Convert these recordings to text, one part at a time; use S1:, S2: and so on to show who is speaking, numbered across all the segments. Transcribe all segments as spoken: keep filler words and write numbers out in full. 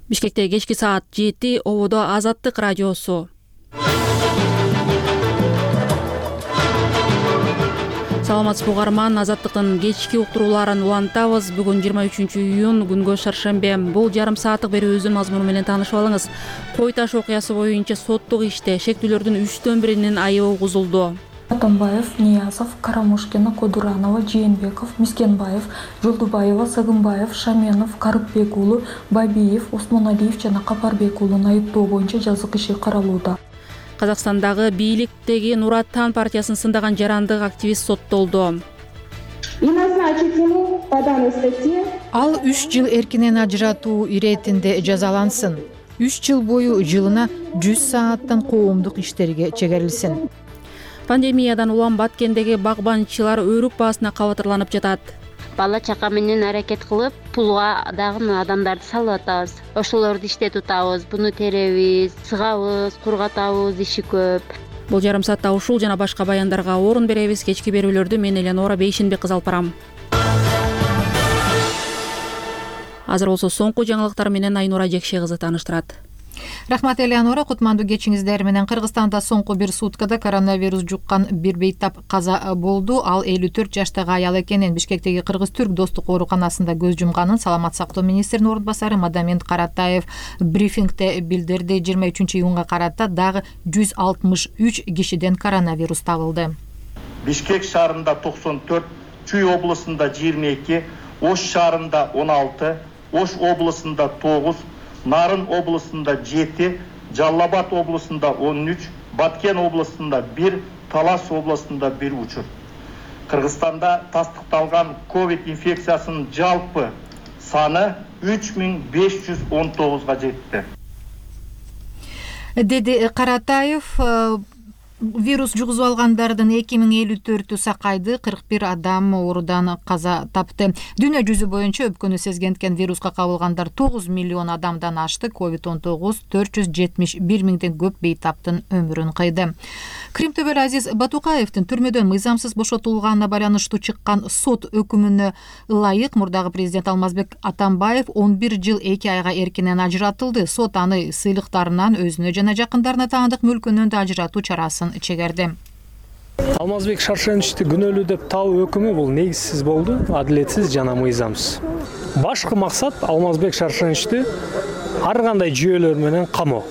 S1: Бишкекте кечки саат жети, ободо Азаттык радиосу. Саламатсызбы угарман, Азаттыктын кечки уктурууларын улантабыз. Бүгүн жыйырма үчүнчү июнь, күнгө шаршембе. Бул жарым сааттык берүүбүздүн мазмуну менен таанышып алыңыз. Кой таш окуясы боюнча соттук иште шектүүлөрдүн үчтөн биринин айыбы угузулду.
S2: Атамбаев, Ниязов, Карамушкина, Кодуранова, Жээнбеков, Мискенбаев, Жолдубаева, Сагынбаев, Шаменов, Карыпбек уулу, Бабиев, Осмоналиев жана Капарбек уулун айыптоо боюнча жазык иши каралууда.
S1: Казакстандагы бийликтеги Нур Отан партиясын сындаган жарандык активист соттолду.
S3: Ал үч жыл эркинен ажыратуу иретинде жазалансын. үч жыл бою жылына жүз сааттан коомдук иштерге чегерилсин.
S1: Пандемиядан улам Баткендеги багбанчылар өрүк баасына кабатырланып жатат.
S4: Бала чака менен аракет кылып, пулга дагы адамдарды салып атабыз. Ошолорду иште тутабыз, буну теребиз, сыгабыз, кургатабыз, иши көп.
S1: Бул жарым саатта ушул жана башка баяндарга орун беребиз. Кечки берүүлөрдү мен Элеонора Бейшенбек кызы алып барам. Азыр болсо соңку жаңылыктар менен Айнура Жекше кызы тааныштырат.
S3: Рахмат, Элеонора. Кутмандуу кечиңиздер менен. Кыргызстанда соңку бир суткада коронавирус жуккан бир бейтап каза болду. Ал элүү төрт жаштагы аял экенин, Бишкектеги Кыргыз-Түрк достук ооруканасында көз жумганын саламат сактоо министринин орун басары Мадамин Каратаев брифингде билдирди. жыйырма үчүнчү июнга карата дагы жүз алтымыш үч кишиден коронавирус табылды.
S5: Бишкек шаарында токсон төрт, Чүй облусунда жыйырма эки, Ош шаарында он алты, Ош облусунда тогуз, Нарын облусунда жети, Жалал Абад облусунда он үч, Баткен облусунда бир, Талас облусунда бир учур. Кыргызстанда тастыкталган ковид инфекциясынын жалпы саны үч миң беш жүз он тогузга жетти.
S3: Деди Каратаев. Вирус жугузуп алгандардын эки миң элүү төртү сакайды, кырк бир адам оорудан каза тапты. Дүйнө жүзү боюнча өпкөнү сезгенткен вируска кабылгандар тогуз миллион адамдан ашты. ковид он тогуз төрт жүз жетимиш бир миңден көп бейтаптын өмүрүн кыйды. Кримтөбөл Азиз Батукаевдин түрмөдөн мыйзамсыз бошотулганына байланыштуу чыккан сот өкүмүнө ылайык мурдагы президент Алмазбек Атамбаев он бир жыл эки айга эркинен ажыратылды. Сот аны сыйлыктарынан өзүнө жана жакындарына таандык мүлкүнөн да ажыратуу чарасын чегерди.
S6: Алмазбек Шаршеничти күнөөлүү деп табуу өкүмү бул негизсиз болду, адилетсиз жана мыйзамсыз. Башкы максат Алмазбек Шаршеничти ар кандай жүйөлөр менен камоо.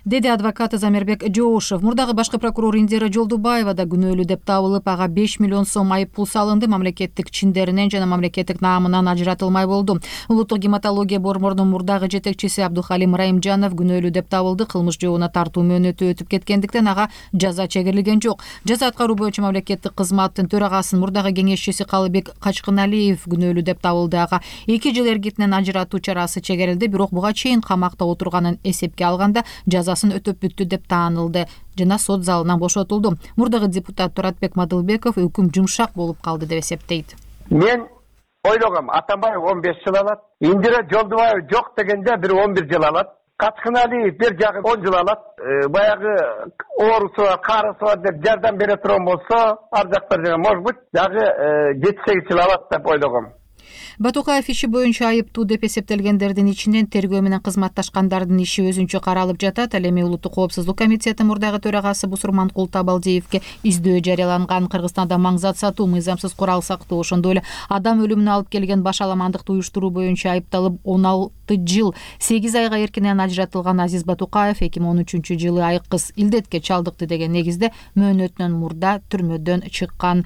S3: Деди адвокаты Замирбек Жоошев. Мурдагы башкы прокурор Индира Жолдубаева да күнөөлүү деп табылып, ага беш миллион сом айып пул салынды. Мамлекеттик чиндеринен жана мамлекеттик наамынан ажыратылмай болду. Улуттук гематология борборунун мурдагы жетекчиси Абдухалим Раимжанов күнөөлүү деп табылды. Кылмыш жообуна тартуу мөөнөтү өтүп кеткендиктен ага жаза чегерилген жок. Жаза аткаруу боюнча мамлекеттик кызматтын төрагасынын мурдагы кеңешчиси Калыбек Качкыналиев күнөөлүү деп табылды. Ага эки жыл эркинен ажыратуу чарасы чегерилди, бирок буга чейин камакта отурганын эсепке алганда жазасын өтөп бүттү деп таанылды жана сот залынан бошотулду. Мурдагы депутат Туратбек Мадылбеков өкүм жумшак болуп калды деп эсептейт.
S7: Мен ойлогом, Атамбаев он беш жыл алат, Индира Жолдубаев жок дегенде бир он бир жыл алат, Качкыналиев бир жагы он жыл алат. Баягы оорусу бар, карысы бар деп жардам бере турган болсо, ар жактар жана может быть дагы жети сегиз жыл алат деп ойлогом.
S3: Батукаев иши боюнча айыптуу деп эсептелгендердин ичинен тергөө менен кызматташкандардын иши өзүнчө каралып жатат. Ал эми Улуттук коопсуздук комитети мурдагы төрагасы Бусурманкул Табалдиевге издөө жарыяланган. Кыргызстанда маңзат сатуу, мыйзамсыз курал сактоо, ошондой эле адам өлүмүнө алып келген башаламандыкты уюштуруу боюнча айыпталып он алты жыл сегиз айга эркинен ажыратылган Азиз Батукаев эки миң он үчүнчү жылы айкыз илдетке чалдыкты деген негизде мөөнөтүнөн мурда түрмөдөн чыккан.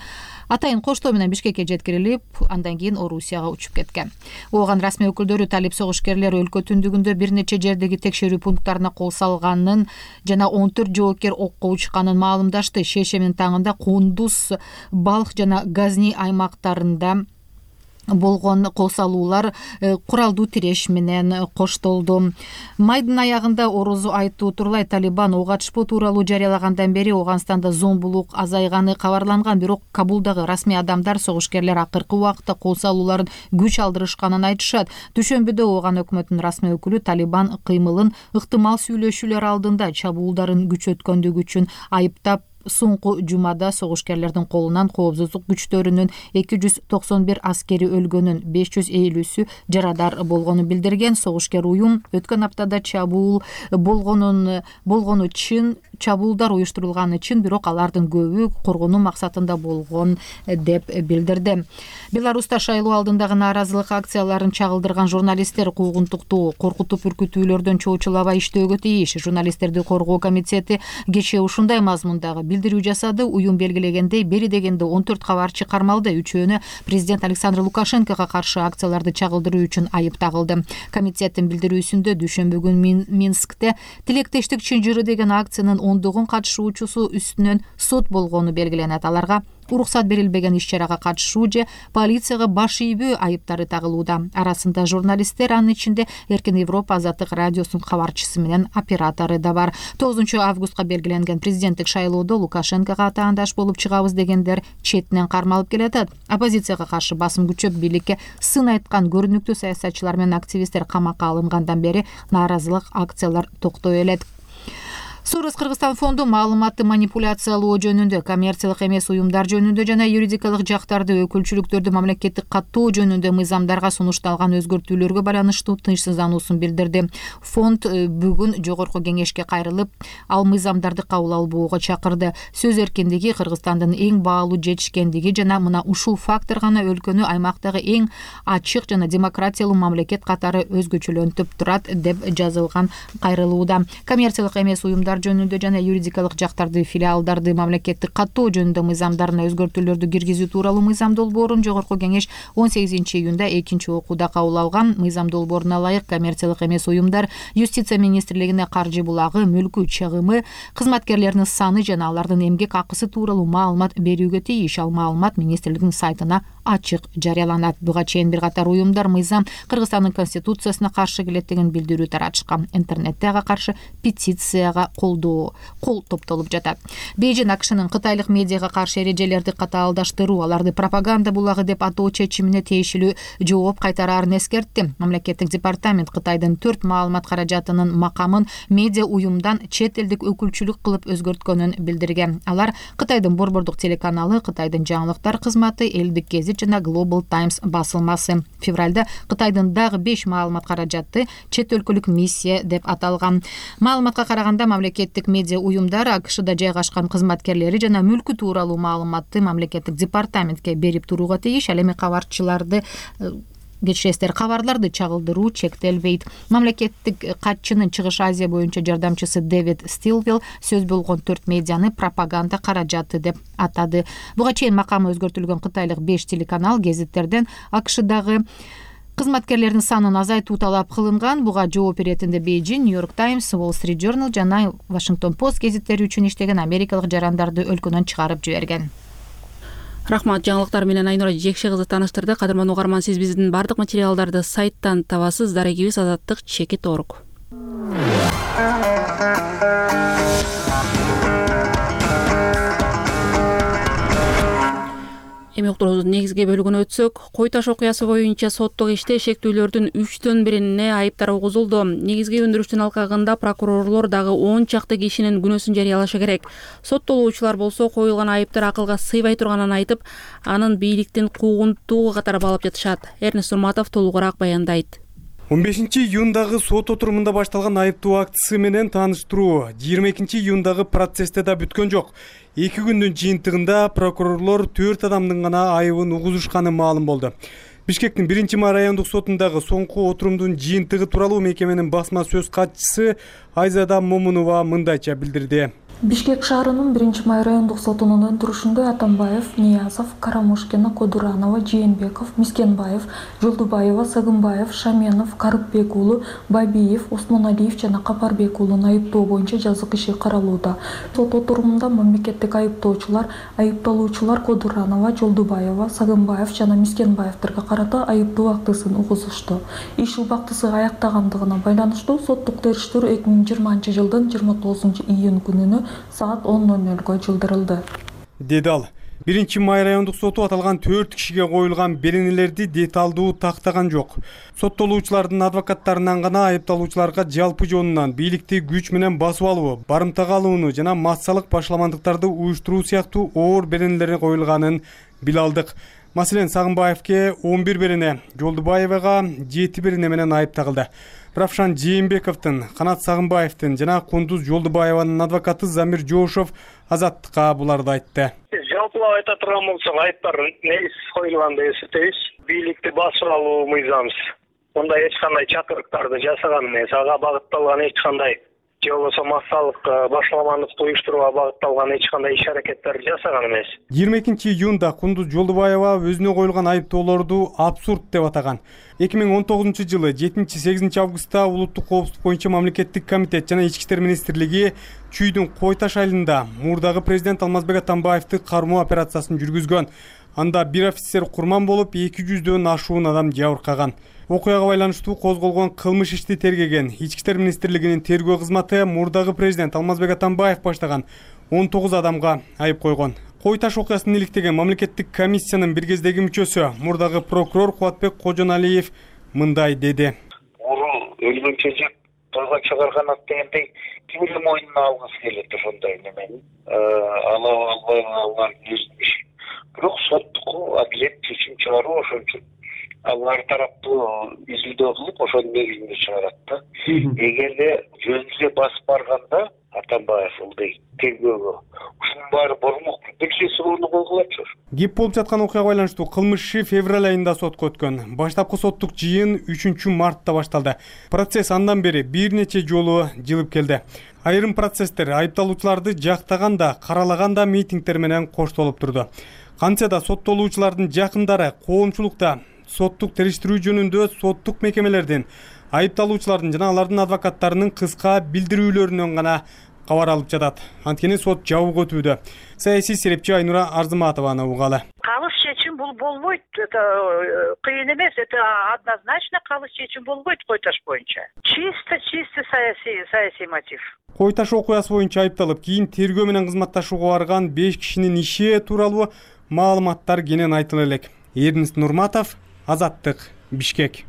S3: Атайын коштоо менен Бишкекке жеткирилип, андан кийин Орусияга учуп кеткен. Ооган расмий өкүлдөрү талип согушкерлер өлкө түндүгүндө бир нече жердеги текшерүү пункттарына кол салганын жана он төрт жоопкер окко учканын маалымдашты. Шешемин таңында Кундуз, Балх жана Газни аймактарында болгон кол салуулар куралдуу тиреш менен коштолду. Майдын аягында орозу айтуу тууралай Талибан ок атышпоо тууралуу жарыялагандан бери Ооганстанда зомбулук азайганы кабарланган, бирок Кабулдагы расмий адамдар согушкерлер акыркы убакытта кол салууларын күч алдырышканын айтышат. Түшөмбүдө Ооган өкмөтүнүн расмий өкүлү Талибан кыймылын ыктымал сүйлөшүүлөр алдында чабуулдарын күчөткөндүгү үчүн айыптап Соңку жумада согушкерлердин колунан коопсуздук күчтөрүнүн эки жүз токсон бир аскери өлгөнүн, беш жүз элүүсү жарадар болгонун билдирген. Согушкер уюм өткөн аптада чабуул болгонун болгону чын чабуулдар уюштурулганы чын, бирок алардын көбү коргонуу максатында болгон деп билдирди. Беларуста шайлоо алдындагы нааразылык акцияларын чагылдырган журналисттер куугунтуктуу, коркутуп үркүтүүлөрдөн чоочулабай иштөөгө тийиш. Журналисттерди коргоо комитети кечээ ушундай мазмундагы билдирүү жасады. Уюм белгилегендей, бери дегенде он төрт кабарчы кармалды. Үчөөнө президент Александр Лукашенкого каршы акцияларды чагылдыруу үчүн айып тагылды. Комитеттин билдирүүсүндө дүйшөмбү күнү Минскте тилектештик чынжыры деген акциянын ондогон катышуучусу үстүнөн сот болгону белгиленет. Аларга уруксат берилбеген иш-чарага катышуу же полицияга баш ийбөө айыптары тагылууда. Арасында журналисттер, анын ичинде Эркин Европа Азаттык радиосунун кабарчысы менен оператору да бар. тогузунчу августка белгиленген президенттик шайлоодо Лукашенкого атаандаш болуп чыгабыз дегендер четинен кармалып келатат. Оппозицияга каршы басым күчөп, бийликке сын айткан көрүнүктүү саясатчылар менен активисттер камакка алынгандан бери нааразылык акциялар токтой элек. Сурус Кыргызстан фонду маалыматты манипуляциялоо жөнүндө, коммерциялык эмес уюмдар жөнүндө жана юридикалык жактарды, өкүлчүлүктөрдү мамлекеттик каттоо жөнүндө мыйзамдарга сунушталган өзгөртүүлөргө байланыштуу тынчсыздануусун билдирди. Фонд бүгүн жогорку кеңешке кайрылып, ал мыйзамдарды кабыл албоого чакырды. Сөз эркиндиги Кыргызстандын эң баалуу жетишкендиги жана мына ушул фактор гана өлкөнү аймактагы эң ачык жана демократиялуу мамлекет катары өзгөчөлөнтүп турат деп жазылган кайрылууда. Коммерциялык эмес уюмдар жөнүндө жана юридикалык жактарды, филиалдарды мамлекеттик каттоо жөнүндө мыйзамдарына өзгөртүүлөрдү киргизүү тууралуу мыйзам долбоорун жогорку кеңеш он сегизинчи июнда экинчи окууда кабыл алган. Мыйзам долбооруна ылайык коммерциялык эмес уюмдар Юстиция министрлигине каржы булагы, мүлкү чыгымы, кызматкерлеринин саны жана алардын эмгек акысы тууралуу маалымат берүүгө тийиш. Ал маалымат министрликтин сайтына ачык жарыяланат. Буга чейин бир катар уюмдар мыйзам Кыргызстандын конституциясына каршы келет деген билдирүү таратышкан. Интернетте ага каршы петицияга колдоо кол топтолуп жатат. Бейжин АКШнын кытайлык медиага каршы эрежелерди катаалдаштыруу, аларды пропаганда булагы деп атоо чечимине тиешелүү жооп кайтараарын эскертти. Мамлекеттик департамент Кытайдын төрт маалымат каражатынын макамын медиа уюмдан чет элдик өкүлчүлүк кылып өзгөрткөнүн билдирген. Алар Кытайдын борбордук телеканалы, Кытайдын жаңылыктар кызматы, Элдик гезит жана Global Times басылмасы. Февралда Кытайдын дагы беш маалымат каражаты чет өлкөлүк миссия деп аталган. Маалыматка караганда мамлекеттик медиа уюмдар АКШда жайгашкан кызматкерлери жана мүлкү тууралуу маалыматты мамлекеттик департаментке берип турууга тийиш. Ал эми кабарчыларды кечиресиздер, кабарларды чагылдыруу чектелбейт. Мамлекеттик катчынын Чыгыш Азия боюнча жардамчысы Дэвид Стилвилл сөз болгон төрт медианы пропаганда каражаты деп атады. Буга чейин макамы өзгөртүлгөн кытайлык беш телеканал гезиттерден АКШдагы кызматкерлердин санын азайтуу талап кылынган. Буга жооп иретинде Бейжин, New York Times, Wall Street Journal жана Washington Post гезиттери үчүн иштеген америкалык жарандарды өлкөдөн чыгарып жиберген.
S1: Рахмат, жаңылыктар менен Айнура Жекше кызы тааныштырды. Кадырман угарман, сиз биздин бардык материалдарды сайттан табасыз. Дарегибиз азаттык чекит орг. Эми уктуруубуздун негизги бөлүгүнө өтсөк, Кой Таш окуясы боюнча соттук иште шектүүлөрдүн үчтөн бирине айыптар угузулду. Негизги өндүрүштүн алкагында прокурорлор дагы он чакты кишинин күнөөсүн жарыялашы керек. Соттолуучулар болсо коюлган айыптар акылга сыйбай турганын айтып, анын бийликтин куугунтууга катары баалап жатышат. Эрнест Урматов толугураак баяндайт.
S8: он бешинчи июндагы сот отурумунда башталган айыптоо актысы менен тааныштыруу жыйырма экинчи июндагы процессте да бүткөн жок. эки күндүн жыйынтыгында прокурорлор төрт адамдын гана айыбын угузушканы маалым болду. Бишкектин биринчи райондук сотундагы соңку отурумдун жыйынтыгы тууралуу мекеменин басма сөз катчысы Айзада Момунова мындайча билдирди.
S2: Бишкек шаарынын биринчи май райондук сотунун өндүрүшүндө Атамбаев, Ниязов, Карамушкина, Кодуранова, Жээнбеков, Мискенбаев, Жолдубаева, Сагынбаев, Шаменов, Карыпбек уулу, Бабиев, Осмоналиев жана Капарбек уулун айыптоо боюнча жазык иши каралууда. Сот отурумунда мамлекеттик айыптоочулар, айыпталуучулар Кодуранова, Жолдубаева, Сагынбаев жана Мискенбаевтерге карата айыптоо актысын угузушту. Иш убактысы аяктагандыгына байланыштуу соттук териштирүү эки миң жыйырманчы жылдын жыйырма тогузунчу июнь күнүнө саат он ноль нөлгө жылдырылды,
S8: деди ал. биринчи май райондук соту аталган төрт кишиге коюлган беренелерди деталдуу тактаган жок. Соттолуучулардын адвокаттарынан гана айыпталуучуларга жалпы жонунан бийликти күч менен басып алуу, барымтага алууну жана массалык башаламандыктарды уюштуруу сыяктуу оор беренелер коюлганын биле алдык. Маселен, Сагынбаевке он бир берене, Жолдубаевага жети берене менен айып тагылды. Равшан Жээнбековдун, Канат Сагынбаевдин жана Кундуз Жолдубаеванын адвокаты Замир Жошов Азаттыкка буларды айтты.
S9: Жалпылап айта турган болсок, айыптар негиз коюлган деп эсептейбиз. Бийликти басып алуу мыйзамсыз. Мындай эч кандай чакырыктарды жасаган эмес, ага багытталган эч кандай же болбосо массалык башаламандыкты уюштурууга багытталган эч кандай иш-аракеттерди жасаган эмес.
S8: жыйырма экинчи июнда Кундуз Жолдубаева өзүнө коюлган айыптоолорду абсурд деп атаган. эки миң он тогузунчу жылы жетинчи сегизинчи августта Улуттук коопсуздук боюнча мамлекеттик комитет жана Ички иштер министрлиги Чүйдүн Кой Таш айылында мурдагы президент Алмазбек Атамбаевди кармоо операциясын жүргүзгөн. Анда бир офицер курман болуп, эки жүздөн ашуун адам жабыркаган. Окуяга байланыштуу козголгон кылмыш ишти тергеген Ички иштер министрлигинин тергөө кызматы мурдагы президент Алмазбек Атамбаев баштаган он тогуз адамга айып койгон. Кой Таш окуясын иликтеген мамлекеттик комиссиянын бир кездеги мүчөсү мурдагы прокурор Кубатбек Кожоналиев мындай деди.
S10: Уру өлгөнчө жеп тойго чыгарган дегендей ким эле мойнуна алгысы келет ошондой немени. Алып албай алган өзүнүн иши. Бирок соттук адилет чечим чыгаруу ошон үчүн алар тараптуу изилдөө кылып ошонун негизинде чыгарат да. Эгерде жөн эле басып барганда Атамбаев ылдый тергөөгө ушунун баары болмок. Бекчеси орну койгулачу.
S8: Кеп болуп жаткан окуяга байланыштуу кылмыш иши февраль айында сотко өткөн. Баштапкы соттук жыйын үчүнчү мартта башталды. Процесс андан бери бир нече жолу жылып келди. Айрым процесстер айыпталуучуларды жактаганда, каралаганда митингдер менен коштолуп турду. Кантсе да соттолуучулардын жакындары коомчулукта соттук териштирүү жөнүндө соттук мекемелердин, айыпталуучулардын жана алардын адвокаттарынын кыска билдирүүлөрүнөн гана кабар алып жатат. Анткени сот жабык өтүүдө. Саясий серепчи Айнура Арзыматованы угалы.
S11: Калыс чечим бул болбойт. Это кыйын эмес, это однозначно калыс чечим болбойт Кой Таш боюнча. Чисто чисто саясий саясий мотив.
S8: Кой Таш окуясы боюнча айыпталып, кийин тергөө менен кызматташууга барган беш кишинин иши тууралуу маалыматтар кенен айтыла элек. Эрнест Нурматов, Азаттык, Бишкек.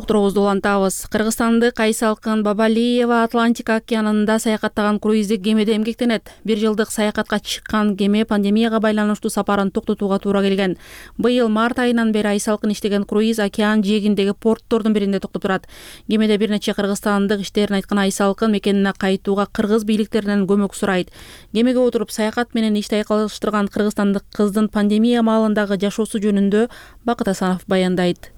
S1: Уктуруубузду улантабыз. Кыргызстандык Айсалкын Бабалиева Атлантика океанында саякаттаган круиздик кемеде эмгектенет. Бир жылдык саякатка чыккан кеме пандемияга байланыштуу сапарын токтотууга туура келген. Быйыл март айынан бери Айсалкын иштеген круиз океан жээгиндеги порттордун биринде токтоп турат. Кемеде бир нече кыргызстандык иштерин айткан Айсалкын мекенине кайтууга кыргыз бийликтеринен көмөк сурайт. Кемеге отуруп саякат менен ишти айкалыштырган кыргызстандык кыздын пандемия маалындагы жашоосу жөнүндө Бакыт Асанов баяндайт.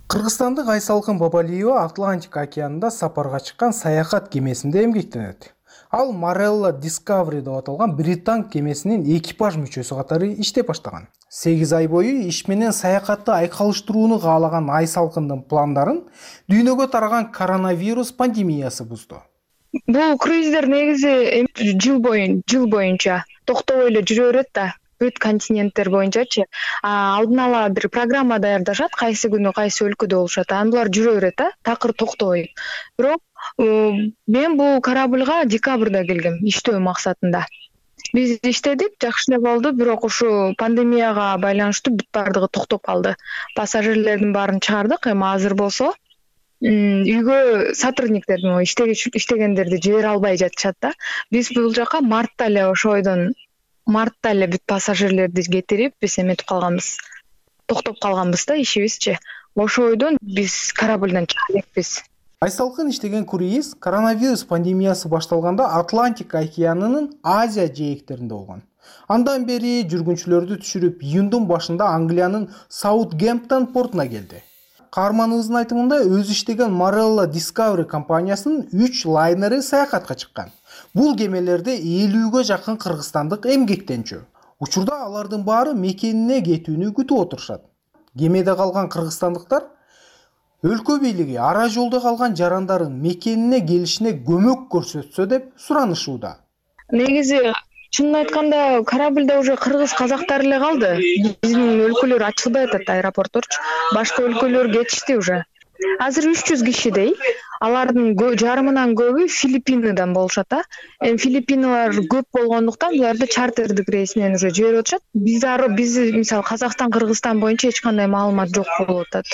S12: Кыргызстандык Айсалкын Бабалиева Атлантика океанында сапарга чыккан саякат кемесинде эмгектенет. Ал Marella Discovery деп аталган британ кемесинин экипаж мүчөсү катары иштеп баштаган. сегиз ай бою иш менен саякатты айкалыштырууну каалаган Айсалкындын пландарын дүйнөгө тараган коронавирус пандемиясы бузду.
S13: Бул круиздер негизи жыл боюн жыл боюнча токтобой эле жүрө берет да. Бүт континенттер боюнчачы алдын ала бир программа даярдашат, кайсы күнү кайсы өлкөдө болушат. Анан булар жүрө берет да, такыр токтобой. Бирок мен бул корабльга декабрда келгем иштөө максатында. Биз иштедик, жакшы эле болду, бирок ушу пандемияга байланыштуу бүт бардыгы токтоп калды. Пассажирлердин баарын чыгардык, эми азыр болсо үйгө сотрудниктердин иштегендерди жибере албай жатышат да. Биз бул жака мартта эле ошойдон мартта эле бүт пассажирлерди кетирип, биз эметип калганбыз. Токтоп калганбыз да ишибизчи. Ошойдон биз корабльдан чыга элекпиз.
S12: Айсалкын иштеген круиз коронавирус пандемиясы башталганда Атлантика океанынын Азия жээктеринде болгон. Андан бери жүргүнчүлөрдү түшүрүп, июндун башында Англиянын Саутгемптон портуна келди. Каарманыбыздын айтымында өзү иштеген Marella Discovery компаниясынын үч лайнери саякатка чыккан. Бул кемелерде элүүгө жакын кыргызстандык эмгектенчү. Учурда алардын баары мекенине кетүүнү күтүп отурушат. Кемеде калган кыргызстандыктар өлкө бийлиги ара жолдо калган жарандарын мекенине келишине көмөк көрсөтсө деп суранышууда.
S13: Негизи чынын айтканда корабльда уже кыргыз казактар эле калды. Биздин өлкөлөр ачылбай атат, аэропортторчу. Башка өлкөлөр кетишти уже. азыр үч жүз кишидей. Алардын жарымынан көбү Филиппинадан болушат да. Эми Филиппиналар көп болгондуктан буларды чартердик рейсинен уже жиберип атышат. Биз биз мисалы Казакстан, Кыргызстан боюнча эч кандай маалымат жок болуп атат.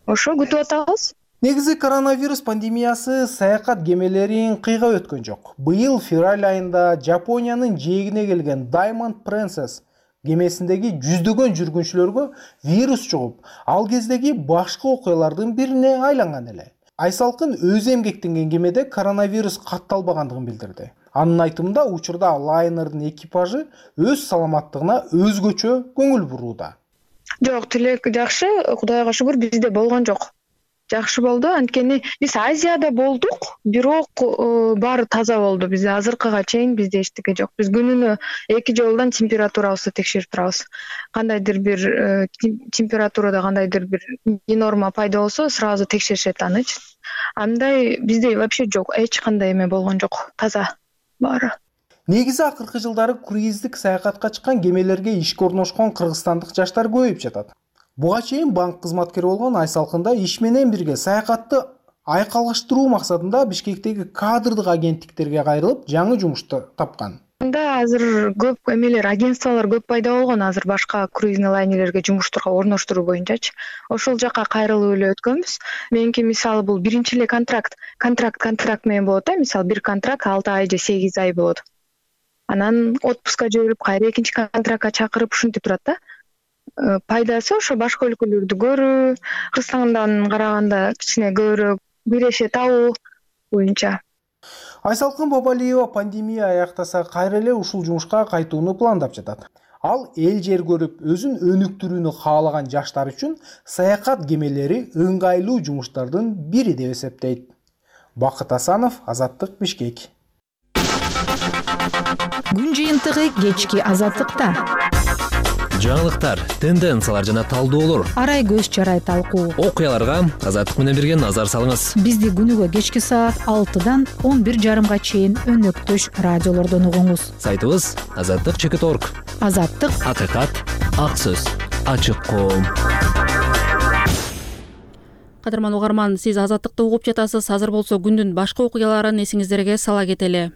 S13: Ошо күтүп атабыз.
S12: Негизи коронавирус пандемиясы саякат кемелерин кыйгап өткөн жок. Быйыл февраль айында Жапониянын жээгине келген Diamond Princess кемесиндеги жүздөгөн жүргүнчүлөргө вирус чугуп, ал кездеги башкы окуялардын бирине айланган эле. Айсалкын өзү эмгектенген кемеде коронавирус катталбагандыгын билдирди. Анын айтымында учурда лайнердин экипажы өз саламаттыгына өзгөчө көңүл бурууда.
S13: Жок, тилек жакшы, Кудайга шүгүр, бизде болгон жок. Жакшы болду, анткени биз Азияда болдук, бирок баары таза болду. Бизде азыркыга чейин бизде эчтеке жок. Биз күнүнө эки жолдон температурабызды текшерип турабыз. Кандайдыр бир температурада кандайдыр бир норма пайда болсо, сразу текшеришет аны. Андай бизде вообще жок, эч кандай эме болгон жок. Таза баары.
S12: Негизи акыркы жылдары круиздик саякатка чыккан кемелерге ишке орношкон кыргызстандык жаштар көбөйүп жатат. Буга чейин банк кызматкери болгон Айсалкында иш менен бирге саякатты айкалыштыруу максатында Бишкектеги кадрдык агенттиктерге кайрылып, жаңы жумушту тапкан.
S13: Анда азыр көп эмелер, агентстволор көп пайда болгон, азыр башка круизный лайнерлерге жумуштарга орноштуруу боюнчачы. Ошол жака кайрылып эле өткөнбүз. Меники мисалы бул биринчи эле контракт, контракт контракт менен болот да, мисалы бир контракт алты ай же сегиз ай болот. Анан отпуска жиберип, кайра экинчи контрактка чакырып ушинтип турат да. Пайдасы ошо башка өлкөлөрдү көрүү, Кыргызстандан караганда кичине көбүрөөк биреше табуу боюнча.
S12: Айсалкын Бабалиева пандемия аяктаса кайра эле ушул жумушка кайтууну пландап жатат. Ал эл жер көрүп, өзүн өнүктүрүүнү каалаган жаштар үчүн саякат кемелери ыңгайлуу жумуштардын бири деп эсептейт. Бакыт Асанов, Азаттык, Бишкек.
S3: Күн жыйынтыгы кечки Азаттыкта.
S14: Жаңылыктар, тенденциялар жана талдоолор,
S3: арай көз чарай талкуу,
S14: окуяларга Азаттык менен бирге назар салыңыз.
S3: Бизди күнүгө кечки саат алтыдан он бир жарымга чейин өнөктөш радиолордон угуңуз.
S14: Сайтыбыз азаттык чекит точка орг.
S3: Азаттык,
S14: акыйкат, ак сөз, ачык коом.
S1: Кадырман угарман, сиз Азаттыкты угуп жатасыз. Азыр болсо күндүн башка окуяларын эсиңиздерге сала кетели.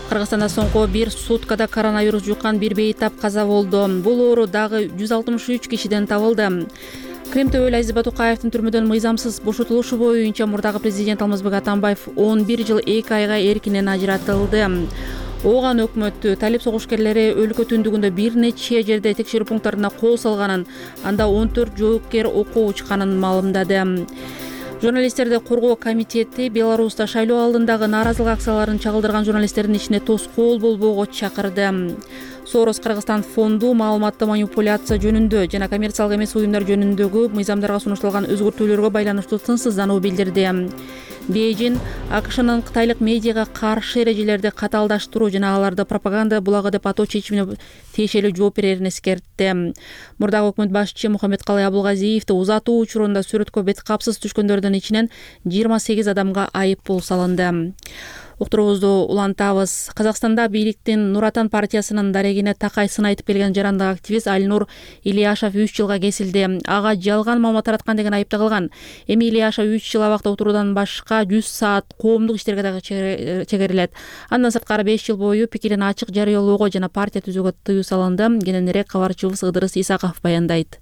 S1: Кыргызстанда соңку бир суткада коронавирус жуккан бир бейтап каза болду. Бул оору дагы жүз алтымыш үч кишиден табылды. Крим Төбөл Азиз Батукаевдин түрмөдөн мыйзамсыз бошотулушу боюнча мурдагы президент Алмазбек Атамбаев он бир жыл эки айга эркинен ажыратылды. Ооган өкмөт талип согушкерлери өлкө түндүгүндө бир нече жерде текшерүү пункттарына кол салганын, анда он төрт жоопкер окуу учканын маалымдады. Журналисттерди коргоо комитети Беларуста шайлоо алдындагы нааразылык акцияларын чагылдырган журналисттердин ишине тоскоол болбоого чакырды. Сорос Кыргызстан фонду маалыматты манипуляция жөнүндө жана коммерциялык эмес уюмдар жөнүндөгү мыйзамдарга сунушталган өзгөртүүлөргө байланыштуу тынчсыздануу билдирди. Бейжин АКШнын кытайлык медиага каршы эрежелерди катаалдаштыруу жана аларды пропаганда булагы деп атоо чечимине тиешелүү жооп берерин эскертти. Мурдагы өкмөт башчы Мухаммедкалый Абулгазиевди узатуу учурунда сүрөткө бет капсыз түшкөндөрдүн ичинен жыйырма сегиз адамга айып пул салынды. Уктуруубузду улантабыз. Казакстанда бийликтин Нур Отан партиясынын дарегине такай сын айтып келген жарандык активист Альнур Ильяшев үч жылга кесилди. Ага жалган маалымат тараткан деген айып тагылган. Эми Ильяшев үч жыл абакта отуруудан башка жүз саат коомдук иштерге дагы чегерилет. Андан сырткары беш жыл бою пикирин ачык жарыялоого жана партия түзүүгө тыюу салынды. Кененирээк кабарчыбыз Ыдырыс Исаков баяндайт.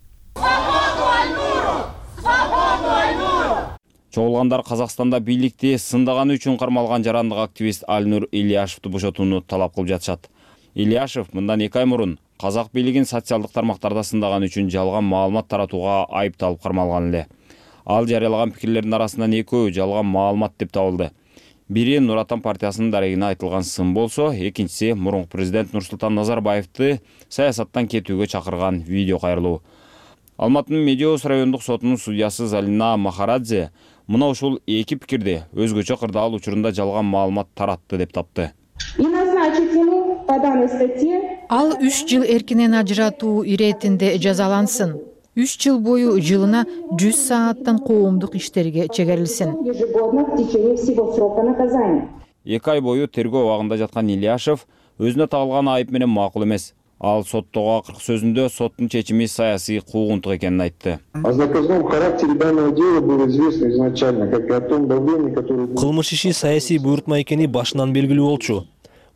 S15: Чогулгандар Казакстанда бийликти сындаганы үчүн кармалган жарандык активист Альнур Ильяшевди бошотууну талап кылып жатышат. Ильяшев мындан эки ай мурун казак бийлигин социалдык тармактарда сындаганы үчүн жалган маалымат таратууга айыпталып кармалган эле. Ал жарыялаган пикирлердин арасынан экөө жалган маалымат деп табылды. Бири Нур Отан партиясынын дарегине айтылган сын болсо, экинчиси мурунку президент Нурсултан Назарбаевди саясаттан кетүүгө чакырган видео кайрылуу. Алматынын Медеус райондук сотунун судьясы Залина Махарадзе мына ушул эки пикирди өзгөчө кырдаал учурунда жалган маалымат таратты деп тапты.
S3: Ал үч жыл эркинен ажыратуу иретинде жазалансын. үч жыл бою жылына жүз сааттан коомдук иштерге чегерилсин.
S15: эки ай бою тергөө абагында жаткан Ильяшев өзүнө тагылган айып менен макул эмес. Ал соттогу акыркы сөзүндө соттун чечими саясий куугунтук экенин айтты.
S16: О заказном характере данного дела было известно изначально, как и о том давлении, которое...
S17: Кылмыш иши саясий буйрутма экени башынан белгилүү болчу.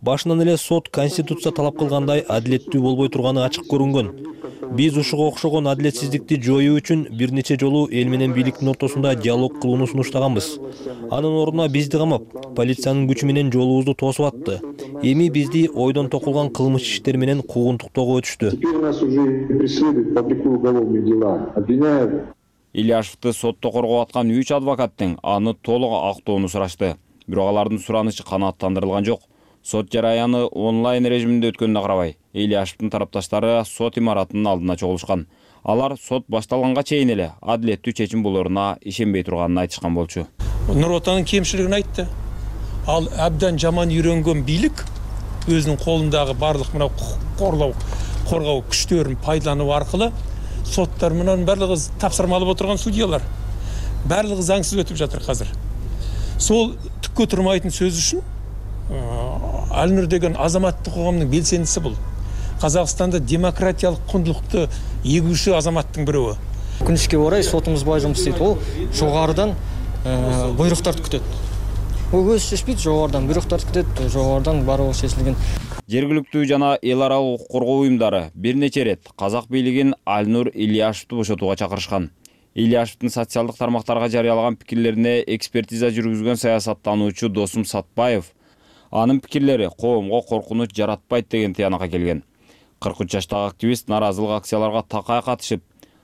S17: Башынан эле сот конституция талап кылгандай адилеттүү болбой турганы ачык көрүнгөн. Биз ушуга окшогон адилетсиздикти жоюу үчүн бир нече жолу эл менен бийликтин ортосунда диалог кылууну сунуштаганбыз. Анын ордуна бизди камап, полициянын күчү менен жолубузду тосуп атты. Эми бизди ойдон токулган кылмыш иштер менен куугунтуктоого өтүштү.
S16: Теперь нас уже преследуют, публикуют уголовные дела, обвиняют.
S15: Ильяшевди сотто коргоп аткан үч адвокаттын аны толук актоону сурашты. Бирок алардын суранычы канааттандырылган жок. Сот жараяны онлайн режиминде өткөнүнө карабай, Ильяшевдин тарапташтары сот имаратынын алдына чогулушкан. Алар сот башталганга чейин эле адилеттүү чечим болоруна ишенбей турганын айтышкан болчу.
S18: Нур Отондун кемшилигин айтты. Ал абдан жаман үйрөнгөн бийлик өзүнүн колундагы барлык мына корлоо коргоо күчтөрүн пайдалануу аркылуу соттор менен барлыгы тапсырма алып отурган судьялар барлыгы заңсыз өтүп жатыр азыр. Сол түккө турмайтын сөз үчүн Алнур деген азаматтык коомдун белсендиси бул. Казакстанда демократиялык кундулукту эгүүчү азаматтын бирөө.
S19: Өкүнүчкө орай сотумуз бай жумуш істейт. Ол жогорудан буйруктарды күтөт. Ол өзү чечпейт, жогорудан буйруктарды күтөт, жогорудан баары чечилген.
S15: Жергиликтүү жана эл аралык укук коргоо уюмдары бир нече ирет казак бийлигин Алнур Ильяшевди бошотууга чакырышкан. Ильяшевдин социалдык тармактарга жарыялаган пикирлерине экспертиза жүргүзгөн саясаттануучу Досум Сатпаев анын пикирлери коомго коркунуч жаратпайт деген тыянакка келген. кырк үч жаштагы активист нааразылык акцияларга такай катышып,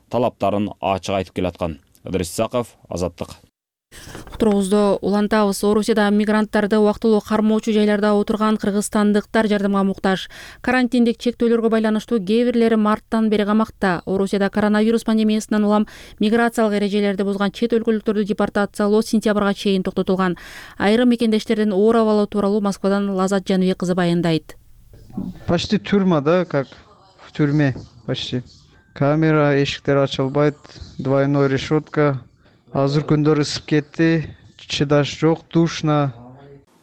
S15: талаптарын ачык айтып келаткан. Ыдырыс Исаков, Азаттык.
S1: Уктуруубузду улантабыз. Орусияда мигранттарды убактылуу кармоочу жайларда отурган кыргызстандыктар жардамга муктаж. Карантиндик чектөөлөргө байланыштуу кээ бирлери марттан бери камакта. Орусияда коронавирус пандемиясынан улам миграциялык эрежелерди бузган чет өлкөлүктөрдү депортациялоо сентябрга чейин токтотулган. Айрым мекендештердин оор абалы тууралуу Москвадан Лазат Жаныбек кызы баяндайт.
S20: Почти тюрьма, да, как в тюрьме, почти. Камера, эшиктер ачылбайт, двойной решетка. Азыр күндөр ысып кетти, чыдаш жок, душно.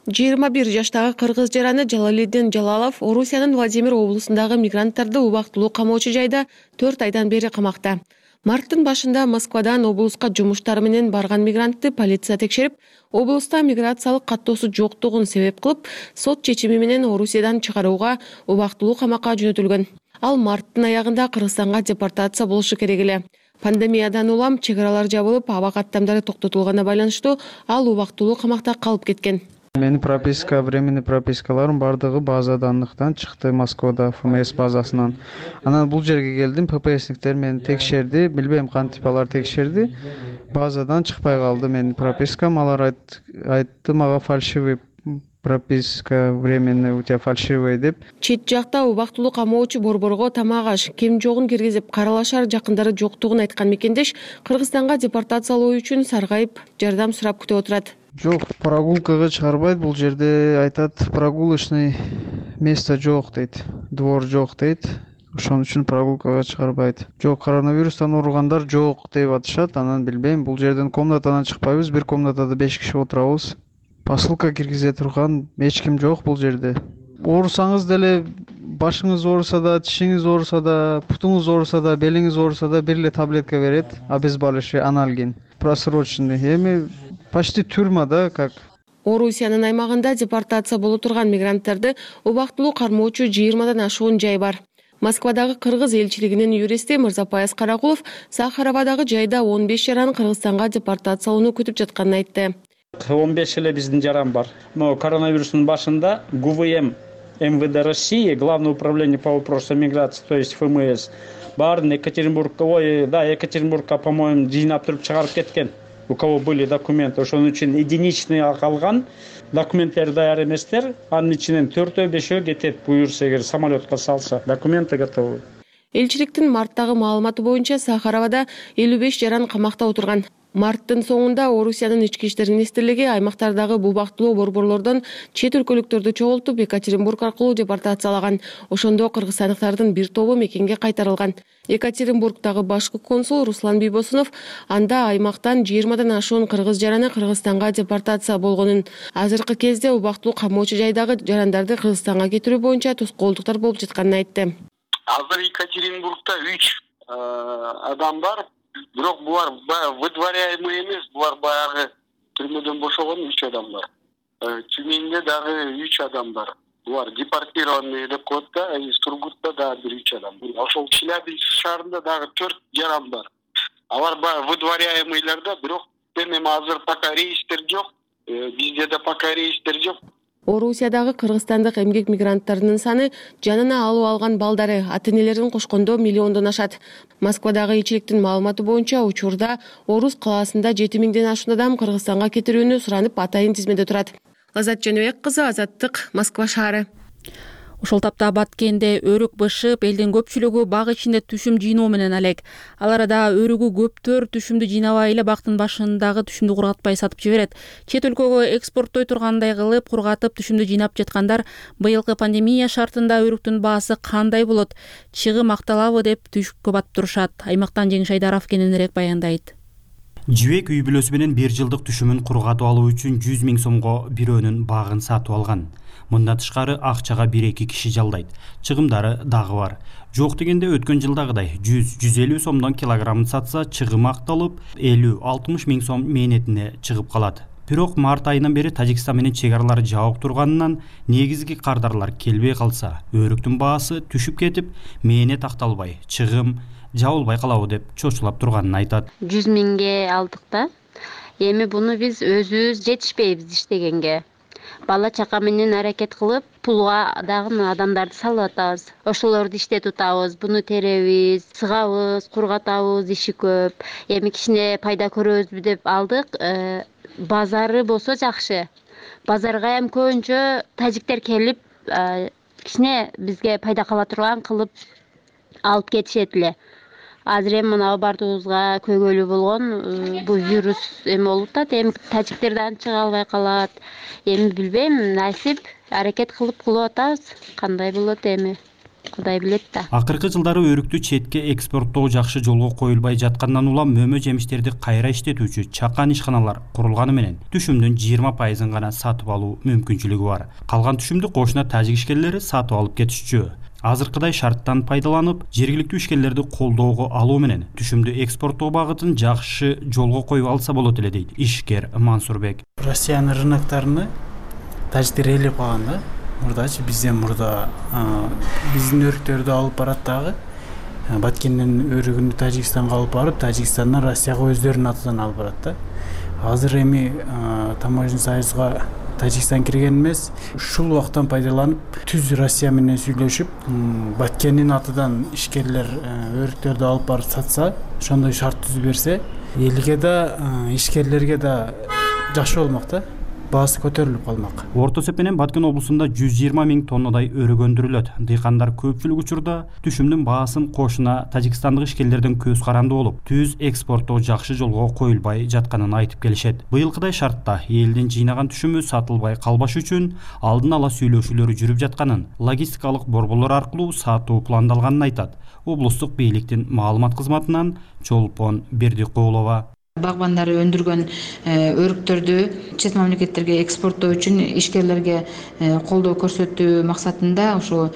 S21: жыйырма бир жаштагы кыргыз жараны Жалалиддин Жалалов Орусиянын Владимир облусундагы мигранттарды убактылуу камоочу жайда төрт айдан бери камакта. Марттын башында Москвадан облуска жумуштары менен барган мигрантты полиция текшерип, облуста миграциялык каттоосу жоктугун себеп кылып, сот чечими менен Орусиядан чыгарууга убактылуу камакка жөнөтүлгөн. Ал марттын аягында Кыргызстанга депортация болушу керек эле. Пандемиядан улам чек аралар жабылып, аба каттамдары токтотулганына байланыштуу ал убактылуу камакта калып кеткен.
S20: Менин прописка, временный пропискаларым бардыгы база данныктан чыкты, Москвада эф эм эс базасынан. Анан бул жерге келдим, пэ пэ эсниктер мени текшерди, билбейм кантип алар текшерди. Базадан чыкпай калды менин пропискам, алар айтты мага фальшивый прописка временная у тебя фальшивая деп.
S21: Чет жакта убактылуу камоочу борборго тамак аш, кем жогун киргизип каралашар жакындары жоктугун айткан мекендеш Кыргызстанга депортациялоо үчүн саргайып, жардам сурап күтүп отурат.
S20: Жок, прогулкага чыгарбайт, бул жерде айтат, прогулочный место жок дейт, двор жок дейт. Ошон үчүн прогулкага чыгарбайт. Жок, коронавирустан ооругандар жок деп атышат, анан билбейм, бул жерден комнатадан чыкпайбыз, бир комнатада беш киши отурабыз. Посылка киргизе турган эч ким жок бул жерде. Оорусаңыз деле, башыңыз ооруса да, тишиңиз ооруса да, путуңуз ооруса да, белиңиз ооруса да бир эле таблетка берет, обезболивающий, анальгин, просроченный. Эми почти тюрьма, да, как.
S21: Орусиянын аймагында депортация боло турган мигранттарды убактылуу кармоочу жыйырмадан ашуун жай бар. Москвадагы кыргыз элчилигинин юристи Мырзапаяз Каракулов Сахаровадагы жайда он беш жаран Кыргызстанга депортациялоону күтүп жатканын айтты.
S22: он беш эле биздин жаран бар. Но коронавирустун башында гэ вэ эм эм вэ дэ России, Главное управление по вопросам миграции, то есть эф эм эс, баарын Екатеринбургка, ой, да, Екатеринбургка, по-моему, жыйнап туруп чыгарып кеткен. У кого были документы, ошон үчүн единичный калган, документтери даяр эместер, анын ичинен төртөө бешөө кетет, буюрса эгер самолетко салса, документы готовы.
S21: Элчиликтин марттагы маалыматы боюнча Сахаровада элүү беш жаран камакта отурган. Марттын соңунда Орусиянын ички иштер министрлиги аймактардагы убактылуу борборлордон чет өлкөлүктөрдү чогултуп Екатеринбург аркылуу депортациялаган. Ошондо кыргызстандыктардын бир тобу мекенге кайтарылган. Екатеринбургдагы башкы консул Руслан Бийбосунов анда аймактан жыйырмадан ашуун кыргыз жараны Кыргызстанга депортация болгонун, азыркы кезде убактылуу камоочу жайдагы жарандарды Кыргызстанга кетирүү боюнча тоскоолдуктар болуп жатканын айтты.
S4: Азыр Екатеринбургда үч адам бар. Бирок булар выдворяемый эмес, булар баягы түрмөдөн бошогон үч адам бар. Тюменде дагы үч адам бар. Булар депортированный деп коет да, из Тургутта дагы бир үч адам. Ошол Челябинск шаарында дагы төрт жаран бар. Алар баягы выдворяемыйларда, бирок эми азыр пока рейстер жок. Бизде да пока рейстер жок.
S21: Орусиядагы кыргызстандык эмгек мигранттарынын саны жанына алып алган балдары ата-энелерин кошкондо миллиондон ашат. Москвадагы элчиликтин маалыматы боюнча учурда Орус калаасында жети миңден ашуун адам Кыргызстанга кетирүүнү суранып атайын тизмеде турат. Азат Жаныбек кызы, Азаттык, Москва шаары.
S1: Ошол тапта Баткенде өрүк бышып, элдин көпчүлүгү бак ичинде түшүм жыйноо менен алек. Ал арада өрүгү көптөр түшүмдү жыйнабай эле бактын башындагы түшүмдү кургатпай сатып жиберет. Чет өлкөгө экспорттой тургандай кылып кургатып түшүмдү жыйнап жаткандар быйылкы пандемия шартында өрүктүн баасы кандай болот, чыгым акталабы деп түшүккө батып турушат. Аймактан Жеңиш Айдаров кененирээк баяндайт.
S5: Жибек үй бүлөсү менен бир жылдык түшүмүн кургатып алуу үчүн жүз миң сомго бирөөнүн багын сатып алган. Мындан тышкары акчага бир эки киши жалдайт. Чыгымдары дагы бар. Жок дегенде өткөн жылдагыдай жүз жүз элүү сомдон килограммын сатса, чыгым акталып элүү алтымыш миң сом мээнетине чыгып калат. Бирок март айынан бери Тажикстан менен чек аралар жабык турганынан негизги кардарлар келбей калса, өрүктүн баасы түшүп кетип, мээнет акталбай, чыгым жабылбай калабы деп чочулап турганын айтат.
S23: жүз миңге алдык да. Эми буну биз өзүбүз жетишпейбиз иштегенге. Бала чака менен аракет кылып, пулга дагы адамдарды салып атабыз. Ошолорду иштетип атабыз, буну теребиз, сыгабыз, кургатабыз, иши көп. Эми кичине пайда көрөбүзбү деп алдык. Базары болсо жакшы. Базарга эми көбүнчө тажиктер келип, кичине бизге пайда кала турган кылып алып кетишет эле. Азыр эми мына бардыгыбызга көйгөйлүү болгон бул вирус эми болуп атат. Эми тажиктер да чыга албай калат. Эми билбейм, насип аракет кылып кылып атабыз. Кандай болот эми? Кудай билет да.
S5: Акыркы жылдары өрүктү четке экспорттоо жакшы жолго коюлбай жаткандан улам мөмө жемиштерди кайра иштетүүчү чакан ишканалар курулганы менен түшүмдүн жыйырма пайызын гана сатып алуу мүмкүнчүлүгү бар. Калган түшүмдү кошуна тажик ишкерлери сатып алып кетишчү. Азыркыдай шарттан пайдаланып, жергиликтүү ишкерлерди колдоого алуу менен түшүмдү экспорттоо багытын жакшы жолго коюп алса болот эле дейт ишкер Мансурбек.
S24: Россиянын рыноктарыны тажиктер ээлеп калган да. Мурдачы бизден мурда биздин өрүктөрдү алып барат дагы. Баткенден өрүгүнү Тажикстанга алып барып, Тажикстандан Россияга өздөрүнүн атынан алып барат да. Азыр эми таможенный союзга Тажикстан кирген эмес. Ушул убактан пайдаланып, түз Россия менен сүйлөшүп, Баткендин атынан ишкерлер өрүктөрдү алып барып сатса, ошондой шарт түзүп берсе, элге да, ишкерлерге да жакшы болмок да. Баасы көтөрүлүп калмак.
S5: Орто эсеп менен Баткен облусунда жүз жыйырма миң тоннадай өрүк өндүрүлөт. Дыйкандар көпчүлүк учурда түшүмдүн баасын кошуна тажикстандык ишкерлерден көз каранды болуп, түз экспорттоо жакшы жолго коюлбай жатканын айтып келишет. Быйылкыдай шартта элдин жыйнаган түшүмү сатылбай калбаш үчүн алдын ала сүйлөшүүлөр жүрүп жатканын, логистикалык борборлор аркылуу сатуу пландалганын айтат. Облустук бийликтин маалымат кызматынан Чолпон Бердикулова.
S25: Багбандар өндүргөн өрүктөрдү чет мамлекеттерге экспорттоо үчүн ишкерлерге колдоо көрсөтүү максатында ошо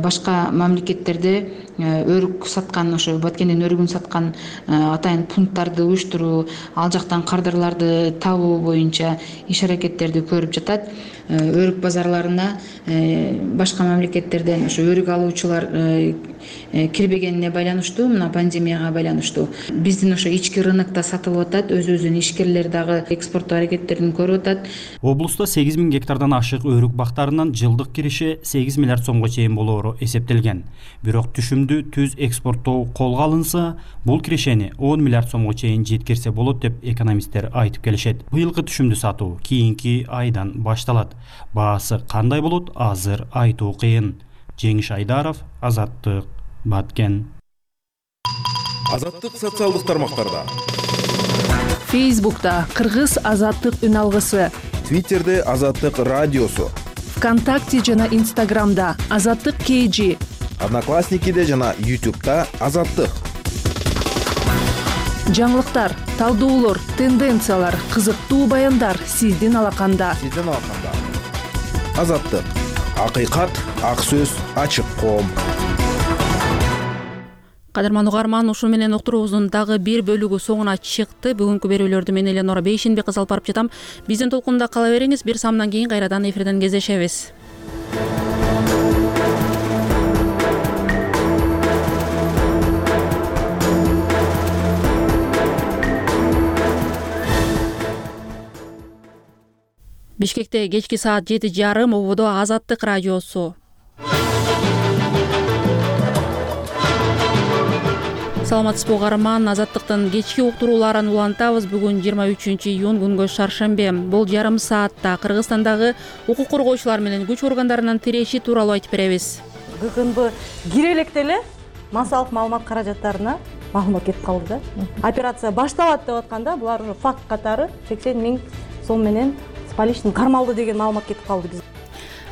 S25: башка мамлекеттерде өрүк саткан, ошо Баткендин өрүгүн саткан атайын пункттарды уюштуруу, ал жактан кардарларды табуу боюнча иш аракеттерди көрүп жатат. Өрүк базарларына башка мамлекеттерден ошо өрүк алуучулар кирбегенине байланыштуу, мына пандемияга байланыштуу биздин ошо ички рынокто сатылып атат, өзүбүздүн ишкерлер дагы экспорттоо аракеттерин көрүп атат.
S5: Облуста сегиз миң гектардан ашык өрүк бактарынан жылдык кириши сегиз миллиард сомго чейин болоору эсептелген. Бирок түшүмдү түз экспорттоо колго алынса, бул киришени он миллиард сомго чейин жеткирсе болот деп экономисттер айтып келишет. Быйылкы түшүмдү сатуу кийинки айдан башталат. Баасы кандай болот, азыр айтуу кыйын. Жеңиш Айдаров, Азаттык, Баткен.
S26: Азаттык социалдык тармактарда.
S27: Фейсбукта Кыргыз Азаттык үн алгысы.
S26: Твиттерде Азаттык радиосу.
S27: ВКонтакте жана Инстаграмда Азаттык кей джи.
S26: Одноклассникиде жана Ютубта Азаттык.
S27: Жаңылыктар, талдоолор, тенденциялар, кызыктуу баяндар сиздин алаканда.
S26: Сиздин алаканда. Азаттык. Акыйкат, ак сөз, ачык коом.
S1: Кадырман угарман, ушу менен уктуруубуздун дагы бир бөлүгү соңуна чыкты. Бүгүнкү берүүлөрдү мен Эленора Бейшенбек кыз алып барып жатам. Биздин толкунда кала бериңиз. Бир самдан кийин кайрадан эфирден кездешебиз. Бишкекте кечки саат жети жарым ободо Азаттык радиосу. Саламатсызбы угарман, Азаттыктын кечки уктурууларын улантабыз. Бүгүн жыйырма үчүнчү июнь, күнгө шаршембе. Бул жарым саатта Кыргызстандагы укук коргоочулар менен күч органдарынын тиреши тууралуу айтып беребиз.
S2: ГКНБ кире электе эле массалык маалымат каражаттарына маалымат кетип калды да. Операция башталат деп атканда булар уже факт катары сексен миң сом менен с поличным кармалды деген маалымат кетип калды биз.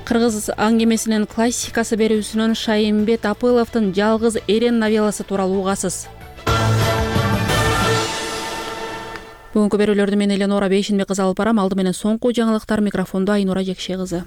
S1: Кыргыз аңгемесинин классикасы берүүсүнөн Шайымбет Апыловдун Жалгыз эрен новелласы тууралуу угасыз. Бүгүнкү берүүлөрдү мен Эленора Бейшенбек кыз алып барам. Алды менен соңку жаңылыктар, микрофондо Айнура Жекше кызы.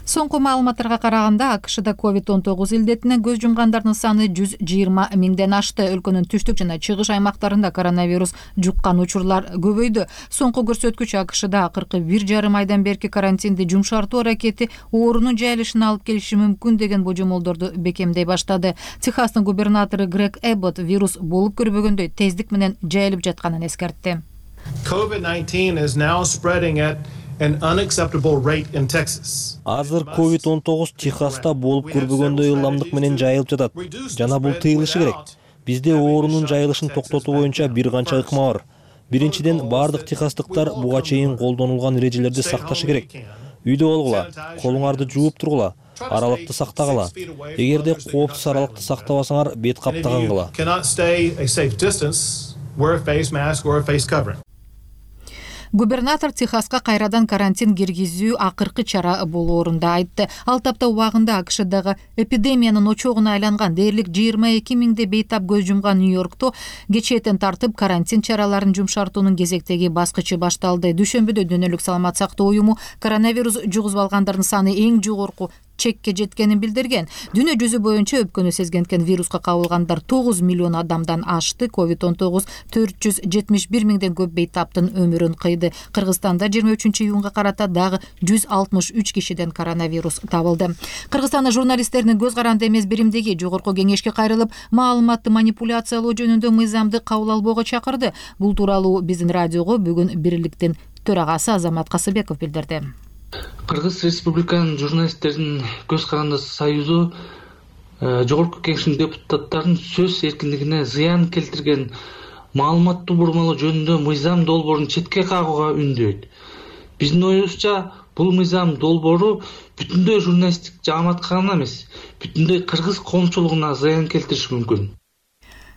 S3: Соңку маалыматтарга караганда АКШда ковид он тогуз илдетинен көз жумгандардын саны жүз жыйырма миңден ашты. Өлкөнүн түштүк жана чыгыш аймактарында коронавирус жуккан учурлар көбөйдү. Соңку көрсөткүч АКШда акыркы бир жарым айдан берки карантинди жумшартуу аракети оорунун жайылышына алып келиши мүмкүн деген божомолдорду бекемдей баштады. Техастын губернатору Грег Эббот вирус болуп көрбөгөндөй тездик менен жайылып жатканын эскертти.
S6: COVID nineteen is now spreading at an unacceptable rate in Texas.
S17: Азыр ковид он тогуз Техаста болуп көрбөгөндөй ылдамдык менен жайылып жатат. Жана бул тыйылышы керек. Бизде оорунун жайылышын токтотуу боюнча бир канча ыкма бар. Биринчиден, бардык техастыктар буга чейин колдонулган эрежелерди сакташы керек. Үйдө болгула, колуңарды жууп тургула, аралыкты сактагыла. Эгерде коопсуз аралыкты сактабасаңар, бет каптагангыла.
S3: Губернатор Техаска кайрадан карантин киргизүү акыркы чара болоорун айтты. Ал тапта убагында АКШдагы эпидемиянын очогуна айланган дээрлик жыйырма эки миңде бейтап көз жумган Нью-Йоркто кечээден тартып карантин чараларын жумшартуунун кезектеги баскычы башталды. Дүйшөмбүдө Дүйнөлүк саламат сактоо уюму коронавирус жугузуп алгандардын саны эң жогорку чекке жеткенин билдирген. Дүйнө жүзү боюнча өпкөнү сезгенткен вируска кабылгандар тогуз миллион адамдан ашты. ковид он тогуз төрт жүз жетимиш бир миңден көп бейтаптын өмүрүн кыйды. Кыргызстанда жыйырма үчүнчү июнга карата дагы жүз алтымыш үч кишиден коронавирус табылды. Кыргызстанда журналисттердин көз каранды эмес биримдиги жогорку кеңешке кайрылып, маалыматты манипуляциялоо жөнүндө мыйзамды кабыл албоого чакырды. Бул тууралуу биздин радиого бүгүн бирликтин төрагасы Азамат Касыбеков билдирди.
S7: Кыргыз Республиканын журналисттердин көз каранды союзу жогорку кеңештин депутаттарынын сөз эркиндигине зыян келтирген маалыматтуу бурмалоо жөнүндө мыйзам долбоорун четке кагууга үндөйт. Биздин оюбузча, бул мыйзам долбоору бүтүндөй журналисттик жааматка гана эмес, бүтүндөй кыргыз коомчулугуна зыян келтириши мүмкүн.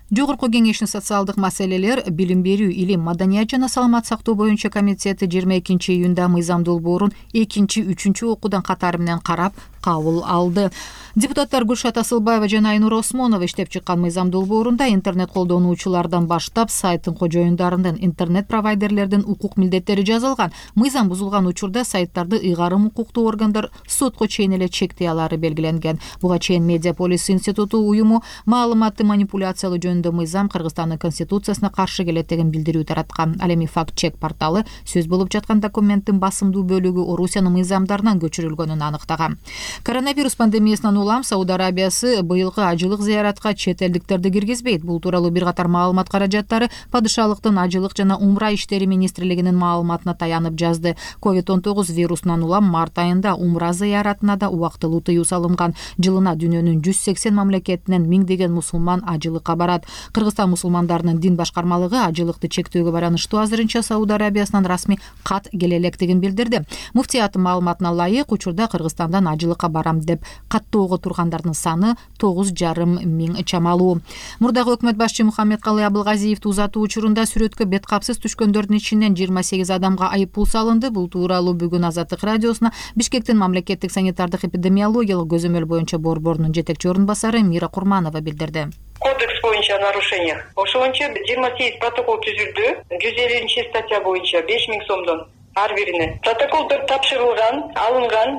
S3: Жогорку кеңештин социалдык маселелер, билим берүү, илим, маданият жана саламат сактоо боюнча комитети жыйырма экинчи июнда мыйзам долбоорун экинчи, үчүнчү окуудан катары менен карап кабыл алды. Депутаттар Гүлшат Асылбаева жана Айнура Осмонова иштеп чыккан мыйзам долбоорунда интернет колдонуучулардан баштап сайттын кожоюндарынын, интернет провайдерлердин укук милдеттери жазылган. Мыйзам бузулган учурда сайттарды ыйгарым укуктуу органдар сотко чейин эле чектей алары белгиленген. Буга чейин Медиаполис институту уюму маалыматты манипуляциялоо жөнүндө мыйзам Кыргызстандын конституциясына каршы келет деген билдирүү тараткан. Ал эми факт-чек порталы сөз болуп жаткан документтин басымдуу бөлүгү Орусиянын мыйзамдарынан көчүрүлгөнүн аныктаган. Коронавирус пандемиясынан улам Сауд Арабиясы быйылкы ажылык зыяратка чет элдиктерди киргизбейт. Бул тууралуу бир катар маалымат каражаттары падышалыктын ажылык жана умра иштери министрлигинин маалыматына таянып жазды. ковид он тогуз вирусунан улам март айында умра зыяратына да убактылуу тыюу салынган. Жылына дүйнөнүн жүз сексен мамлекетинен миңдеген мусулман ажылыкка барат. Кыргызстан мусулмандарынын дин башкармалыгы ажылыкты чектөөгө байланыштуу азырынча Сауд Арабиясынан расмий кат келе электигин билдирди. Муфтияттын маалыматына ылайык, учурда Кыргызстандан ажылыкка барам деп каттоого тургандардын саны тогуз жарым миң чамалуу. Мурдагы өкмөт башчы Мухаммедкалый Абылгазиевди узатуу учурунда сүрөткө бет капсыз түшкөндөрдүн ичинен жыйырма сегиз адамга айып пул салынды. Бул тууралуу бүгүн Азаттык радиосуна Бишкектин мамлекеттик санитардык эпидемиологиялык көзөмөл боюнча борборунун жетекчи орун басары Мира Курманова билдирди.
S8: Кодекс боюнча нарушениях ошончо жыйырма сегиз протокол түзүлдү. жүз элүүнчү статья боюнча беш миң сомдон ар бирине. Протоколдор тапшырылган, алынган,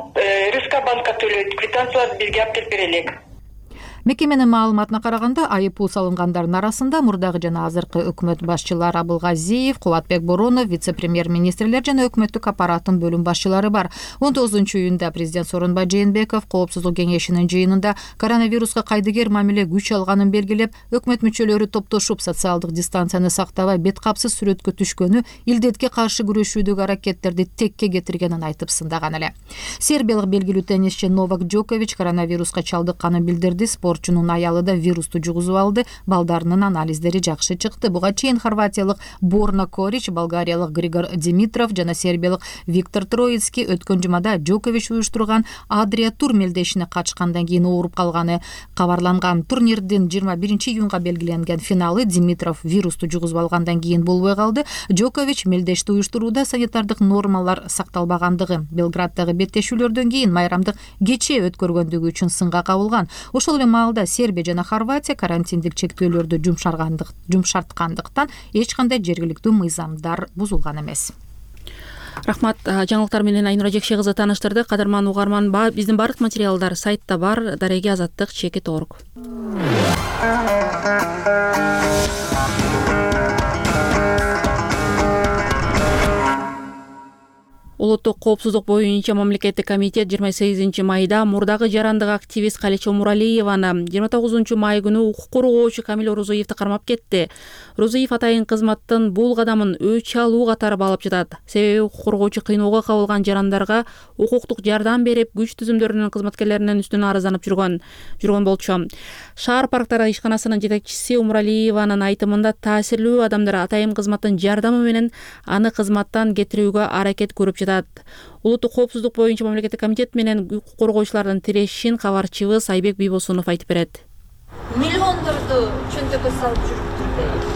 S8: РСК банкка төлөйт, квитанцияларды бизге алып келип берелик.
S3: Мекеменин маалыматына караганда, айып пул салынгандардын арасында мурдагы жана азыркы өкмөт башчылары Абылгазиев, Кубатбек Боронов, вице-премьер-министрлер жана өкмөттүк аппараттын бөлүм башчылары бар. он тогузунчу июнда президент Сооронбай Жээнбеков Коопсуздук кеңешинин жыйынында коронавируска кайдыгер мамиле күч алганын белгилеп, өкмөт мүчөлөрү топтошуп социалдык дистанцияны сактабай бет капсыз сүрөткө түшкөнү илдетке каршы күрөшүүдөгү аракеттерди текке кетиргенин айтып сындаган эле. Сербиялык белгилүү теннисчи Новак Джокович коронавируска чалдыкканын билдирди. Спортчунун аялы да вирусту жугузуп алды. Балдарынын анализдери жакшы чыкты. Буга чейин хорватиялык Борна Корич, болгариялык Григор Димитров жана сербиялык Виктор Троицкий өткөн жумада Джокович уюштурган Адрия тур мелдешине катышкандан кийин ооруп калганы кабарланган. Турнирдин жыйырма биринчи июнга белгиленген финалы Димитров вирусту жугузуп алгандан кийин болбой калды. Джокович мелдешти уюштурууда санитардык нормалар сакталбагандыгы, Белграддагы беттешүүлөрдөн кийин майрамдык кече өткөргөндүгү үчүн сынга кабылган. Ошол эле маалда Сербия жана Хорватия карантиндик чектөөлөрдү жумшарткандыктан эч кандай жергиликтүү мыйзамдар бузулган эмес.
S1: Рахмат. Жаңылыктар менен Айнура Жекше кызы тааныштырды. Кадырман угарман, биздин бардык материалдар сайтта бар. Дареги азаттык чекит орг. Улуттук коопсуздук боюнча мамлекеттик комитет жыйырма сегизинчи майда мурдагы жарандык активист Калича Умуралиеваны жыйырма тогузунчу май күнү укук коргоочу Камил Орозоевди кармап кетти. Орозоев атайын кызматтын бул кадамын өч алуу катары баалап жатат. Себеби укук коргоочу кыйноого кабылган жарандарга укуктук жардам берип, күч түзүмдөрүнүн кызматкерлеринин үстүнө арызданып жүргөн жүргөн болчу. Шаар парктары ишканасынын жетекчиси Умуралиеванын айтымында таасирлүү адамдар атайын кызматтын жардамы менен аны кызматтан кетирүүгө аракет көрүп жатат. Улуттук коопсуздук боюнча мамлекеттик комитет менен укук коргоочулардын тирешин кабарчыбыз Айбек Бийбосунов айтып берет.
S9: Миллиондорду чөнтөккө салып жүрүптүр.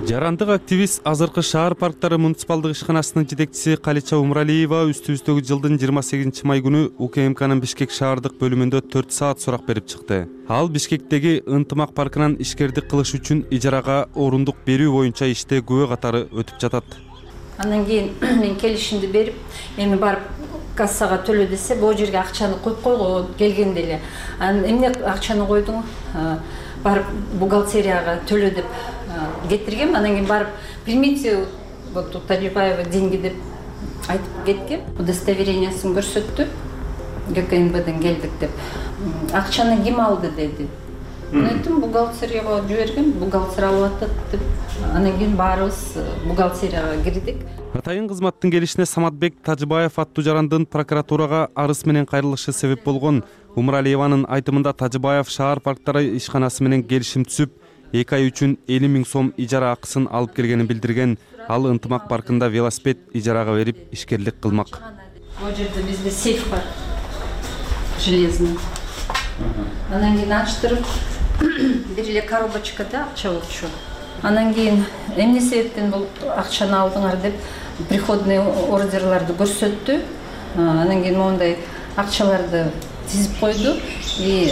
S10: Жарандык активист азыркы шаар парктары муниципалдык ишканасынын жетекчиси Калича Умуралиева үстүбүздөгү жылдын жыйырма сегизинчи май күнү УКМКнын Бишкек шаардык бөлүмүндө төрт саат сурак берип чыкты. Ал Бишкектеги Ынтымак паркынан ишкердик кылыш үчүн ижарага орундук берүү боюнча иште күбө катары өтүп жатат.
S9: Андан кийин мен келишимди берип, эми барып кассага төлө десе, бул жерге акчаны коюп койгон келгенде эле. Анан эмне акчаны койдуң? Барып бухгалтерияга төлө деп кетиргем. Андан кийин барып примите вот тут Талибаева деньги деп айтып кеткем. Удостоверениясын көрсөттү. ГКНБден келдик деп. Акчаны ким алды деди. Мен айттым, бухгалтерияга жибергем, бухгалтер алып атат деп. Анан кийин баарыбыз бухгалтерияга кирдик.
S10: Атайын кызматтын келишине Саматбек Тажыбаев аттуу жарандын прокуратурага арыз менен кайрылышы себеп болгон. Умуралиеванын айтымында Тажыбаев шаар парктары ишканасы менен келишим түзүп, эки ай үчүн элүү миң сом ижара акысын алып келгенин билдирген. Ал Ынтымак паркында велосипед ижарага берип ишкерлик кылмак.
S9: Бул жерде бизде сейф бар. Железный. Анан кийин ачтырып, бир эле коробочкада акча болчу. Анан кийин эмне себептен бул акчаны алдыңар деп приходный ордерларды көрсөттү. Анан кийин мондай акчаларды тизип койду и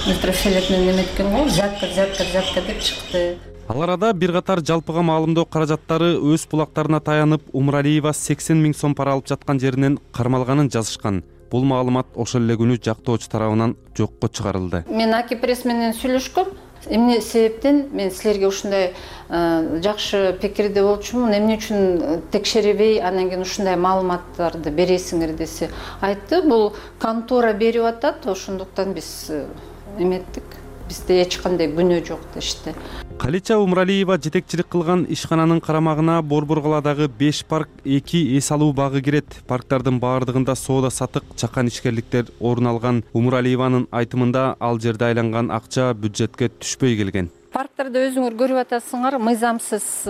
S9: микрофилет менен эметкен го, взятка, взятка, взятка деп чыкты.
S10: Ал арада бир катар жалпыга маалымдоо каражаттары өз булактарына таянып, Умуралиева сексен миң сом пара алып жаткан жеринен кармалганын жазышкан. Бул маалымат ошол эле күнү жактоочу тарабынан жокко чыгарылды.
S9: Мен Аки пресс менен сүйлөшкөм. Эмне себептен мен силерге ушундай жакшы пикирде болчумун, эмне үчүн текшербей, анан кийин ушундай маалыматтарды бересиңер десе, айтты, бул контора берип атат, ошондуктан биз эметтик. Бизде эч кандай күнөө жок дешти.
S10: Калича Умуралиева жетекчилик кылган ишкананын карамагына Борбор каладагы беш парк, эки эс алуу багы кирет. Парктардын баардыгында соода сатык, чакан ишкерликтер орун алган. Умуралиеванын айтымында ал жерде айланган акча бюджетке түшпөй келген.
S9: Парктарда өзүңөр көрүп атасыңар, мыйзамсыз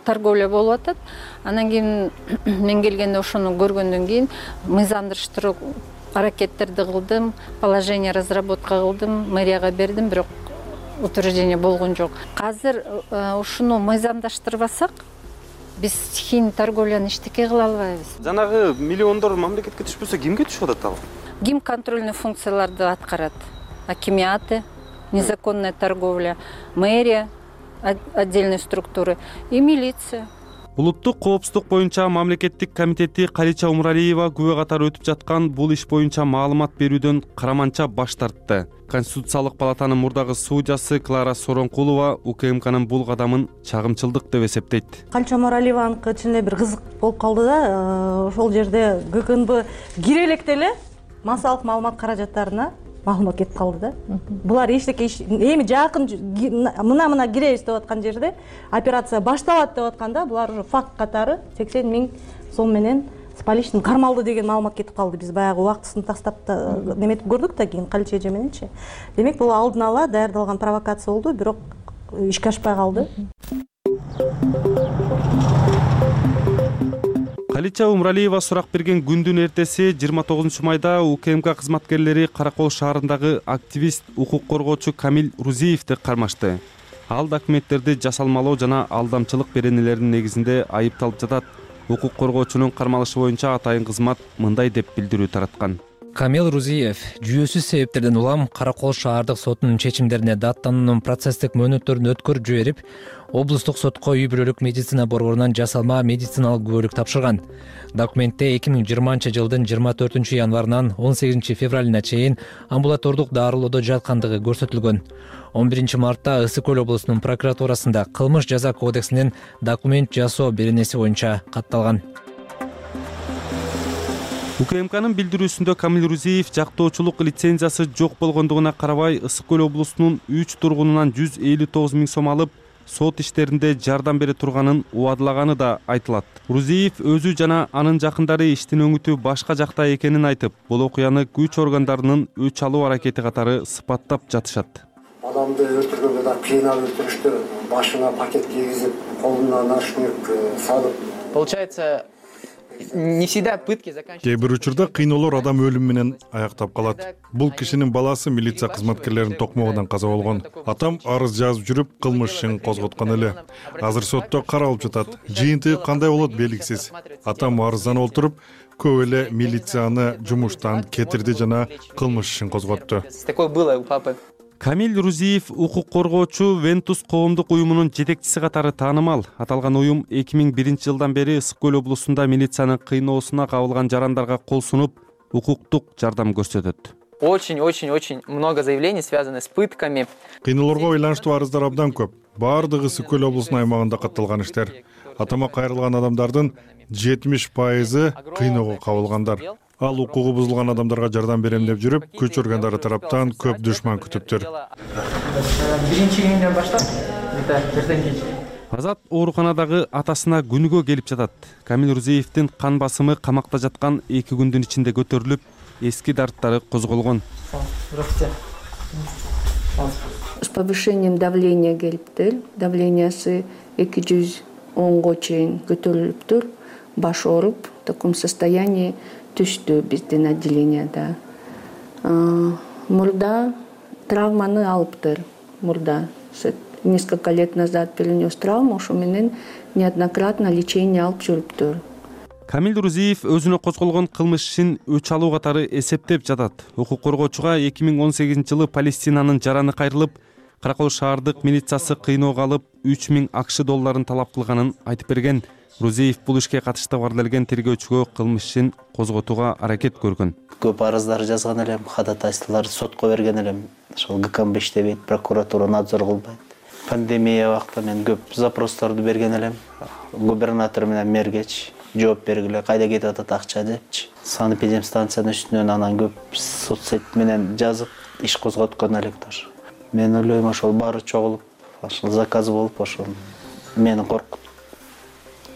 S9: торговля болуп атат. Анан кийин мен келгенде ошону көргөндөн кийин мыйзамдыштыруу аракеттерди кылдым, положение разработка кылдым, мэрияга бердим, бирок утверждение болгон жок. Азыр ушуну мыйзамдаштырбасак, биз стихийный торговляны эчтеке кыла албайбыз.
S10: Жанагы миллиондор мамлекетке түшпөсө кимге түшүп атат ал?
S9: Ким контрольный функцияларды аткарат? Акимиаты, незаконная торговля, мэрия, отдельные структуры и милиция.
S10: Улуттук коопсуздук боюнча мамлекеттик комитети Калича Умралиева күбө катары өтүп жаткан бул иш боюнча маалымат берүүдөн караманча баш тартты. Конституциялык палатанын мурдагы судьясы Клара Соронкулова УКМКнын бул кадамын чагымчылдык деп эсептейт.
S2: Калича Умралиеваныкы ичинде бир кызык болуп калды да, ошол жерде ГКНБ кире электе эле массалык маалымат каражаттарына маалымат кетип калды да. Булар эчтеке эми жакын мына-мына киребиз деп аткан жерде операция башталат деп атканда булар уже факт катары сексен миң сом менен с поличный кармалды деген маалымат кетип калды. Биз баягы убактысын тастап неметип көрдүк да кийин Калича эже мененчи. Демек бул алдын ала даярдалган провокация болду, бирок ишке ашпай калды.
S10: Калича Умралиева сурак берген күндүн эртеси жыйырма тогузунчу майда УКМК кызматкерлери Каракол шаарындагы активист, укук коргоочу Камил Рузиевди кармашты. Ал документтерди жасалмалоо жана алдамчылык беренелеринин негизинде айыпталып жатат. Укук коргоочунун кармалышы боюнча атайын кызмат мындай деп билдирүү тараткан.
S11: Камил Рузиев жүйөсүз себептерден улам Каракол шаардык сотунун чечимдерине даттануунун процесстик мөөнөттөрүн өткөрүп жиберип, облустук сотко үй бүлөлүк медицина борборунан жасалма медициналык күбөлүк тапшырган. Документте эки миң жыйырманчы жылдын жыйырма төртүнчү январынан он сегизинчи февралына чейин амбулатордук дарылоодо жаткандыгы көрсөтүлгөн. он биринчи мартта Ысык Көл облусунун прокуратурасында кылмыш жаза кодексинин документ жасоо беренеси боюнча катталган.
S10: УКМКнын билдирүүсүндө Камил Рузиев жактоочулук лицензиясы жок болгондугуна карабай Ысык Көл облусунун үч тургунунан жүз элүү тогуз миң сом алып, сот иштеринде жардам бере турганын убадылаганы да айтылат. Рузиев өзү жана анын жакындары иштин өңүтү башка жакта экенин айтып, бул окуяны күч органдарынын өч алуу аракети катары сыпаттап жатышат.
S12: Адамды өлтүргөнгө да кыйнап өлтүрүштү, башына пакет кийгизип, колуна наручник салып.
S13: Получается, не всегда пытки заканчиваются.
S14: Кээ бир учурда кыйноолор адам өлүмү менен аяктап калат. Бул кишинин баласы милиция кызматкерлеринин токмогунан каза болгон. Атам арыз жазып жүрүп, кылмыш ишин козготкон эле. Азыр сотто каралып жатат. Жыйынтыгы кандай болот белгисиз. Атам арызданып отуруп, көп эле милицияны жумуштан кетирди жана кылмыш ишин козготту.
S13: Такое было у папы.
S10: Камил Рузиев укук коргоочу Вентус коомдук уюмунун жетекчиси катары таанымал. Аталган уюм эки миң биринчи жылдан бери Ысык Көл облусунда милициянын кыйноосуна кабылган жарандарга кол сунуп, укуктук жардам көрсөтөт.
S13: Очень-очень-очень много заявлений связаны с пытками.
S14: Кыйноолорго байланыштуу арыздар абдан көп. Баардыгы Ысык Көл облусунун аймагында катталган иштер. Атама кайрылган адамдардын жетимиш пайызы кыйноого кабылгандар. Ал укугу бузулган адамдарга жардам берем деп жүрүп, күч органдары тараптан көп душман күтүптүр.
S13: Биринчи күндөн баштап, эртең кеч.
S10: Азат ооруканадагы атасына күнүгө келип жатат. Камил Рузиевдин кан басымы камакта жаткан эки күндүн ичинде көтөрүлүп, эски дарттары козголгон.
S13: Здравствуйте.
S16: С повышением давления келиптир. Давлениясы эки жүз онго чейин көтөрүлүптүр. Баш ооруп, в таком состоянии түштү биздин отделенияда. Мурда травманы алыптыр. Мурда несколько лет назад перенес травму, ошо менен неоднократно лечение алып жүрүптүр.
S10: Камил Рузиев өзүнө козголгон кылмыш ишин өч алуу катары эсептеп жатат. Укук коргоочуга эки миң он сегизинчи жылы Палестинанын жараны кайрылып, Каракол шаардык милициясы кыйноого алып үч миң акш долларын талап кылганын айтып берген. Рузиев бул ишке катыштык бардырылган тергөөчүгө кылмыш ишин козготууга аракет көргөн.
S18: Көп арыздар жазган элем, ходатайстволорду сотко берген элем. Ошол ГКМБ иштебейт, прокуратура надзор кылбайт. Пандемия убактта мен көп запросторду берген элем. Губернатор менен мэргечи жооп бергиле, кайда кетип атат акча депчи. Санэпидемстанциянын үстүнөн анан көп соцсет менен жазып иш козготкон элек тоже. Мен ойлойм ошол баары чогулуп, ошол заказ болуп, ошол мени коркутуп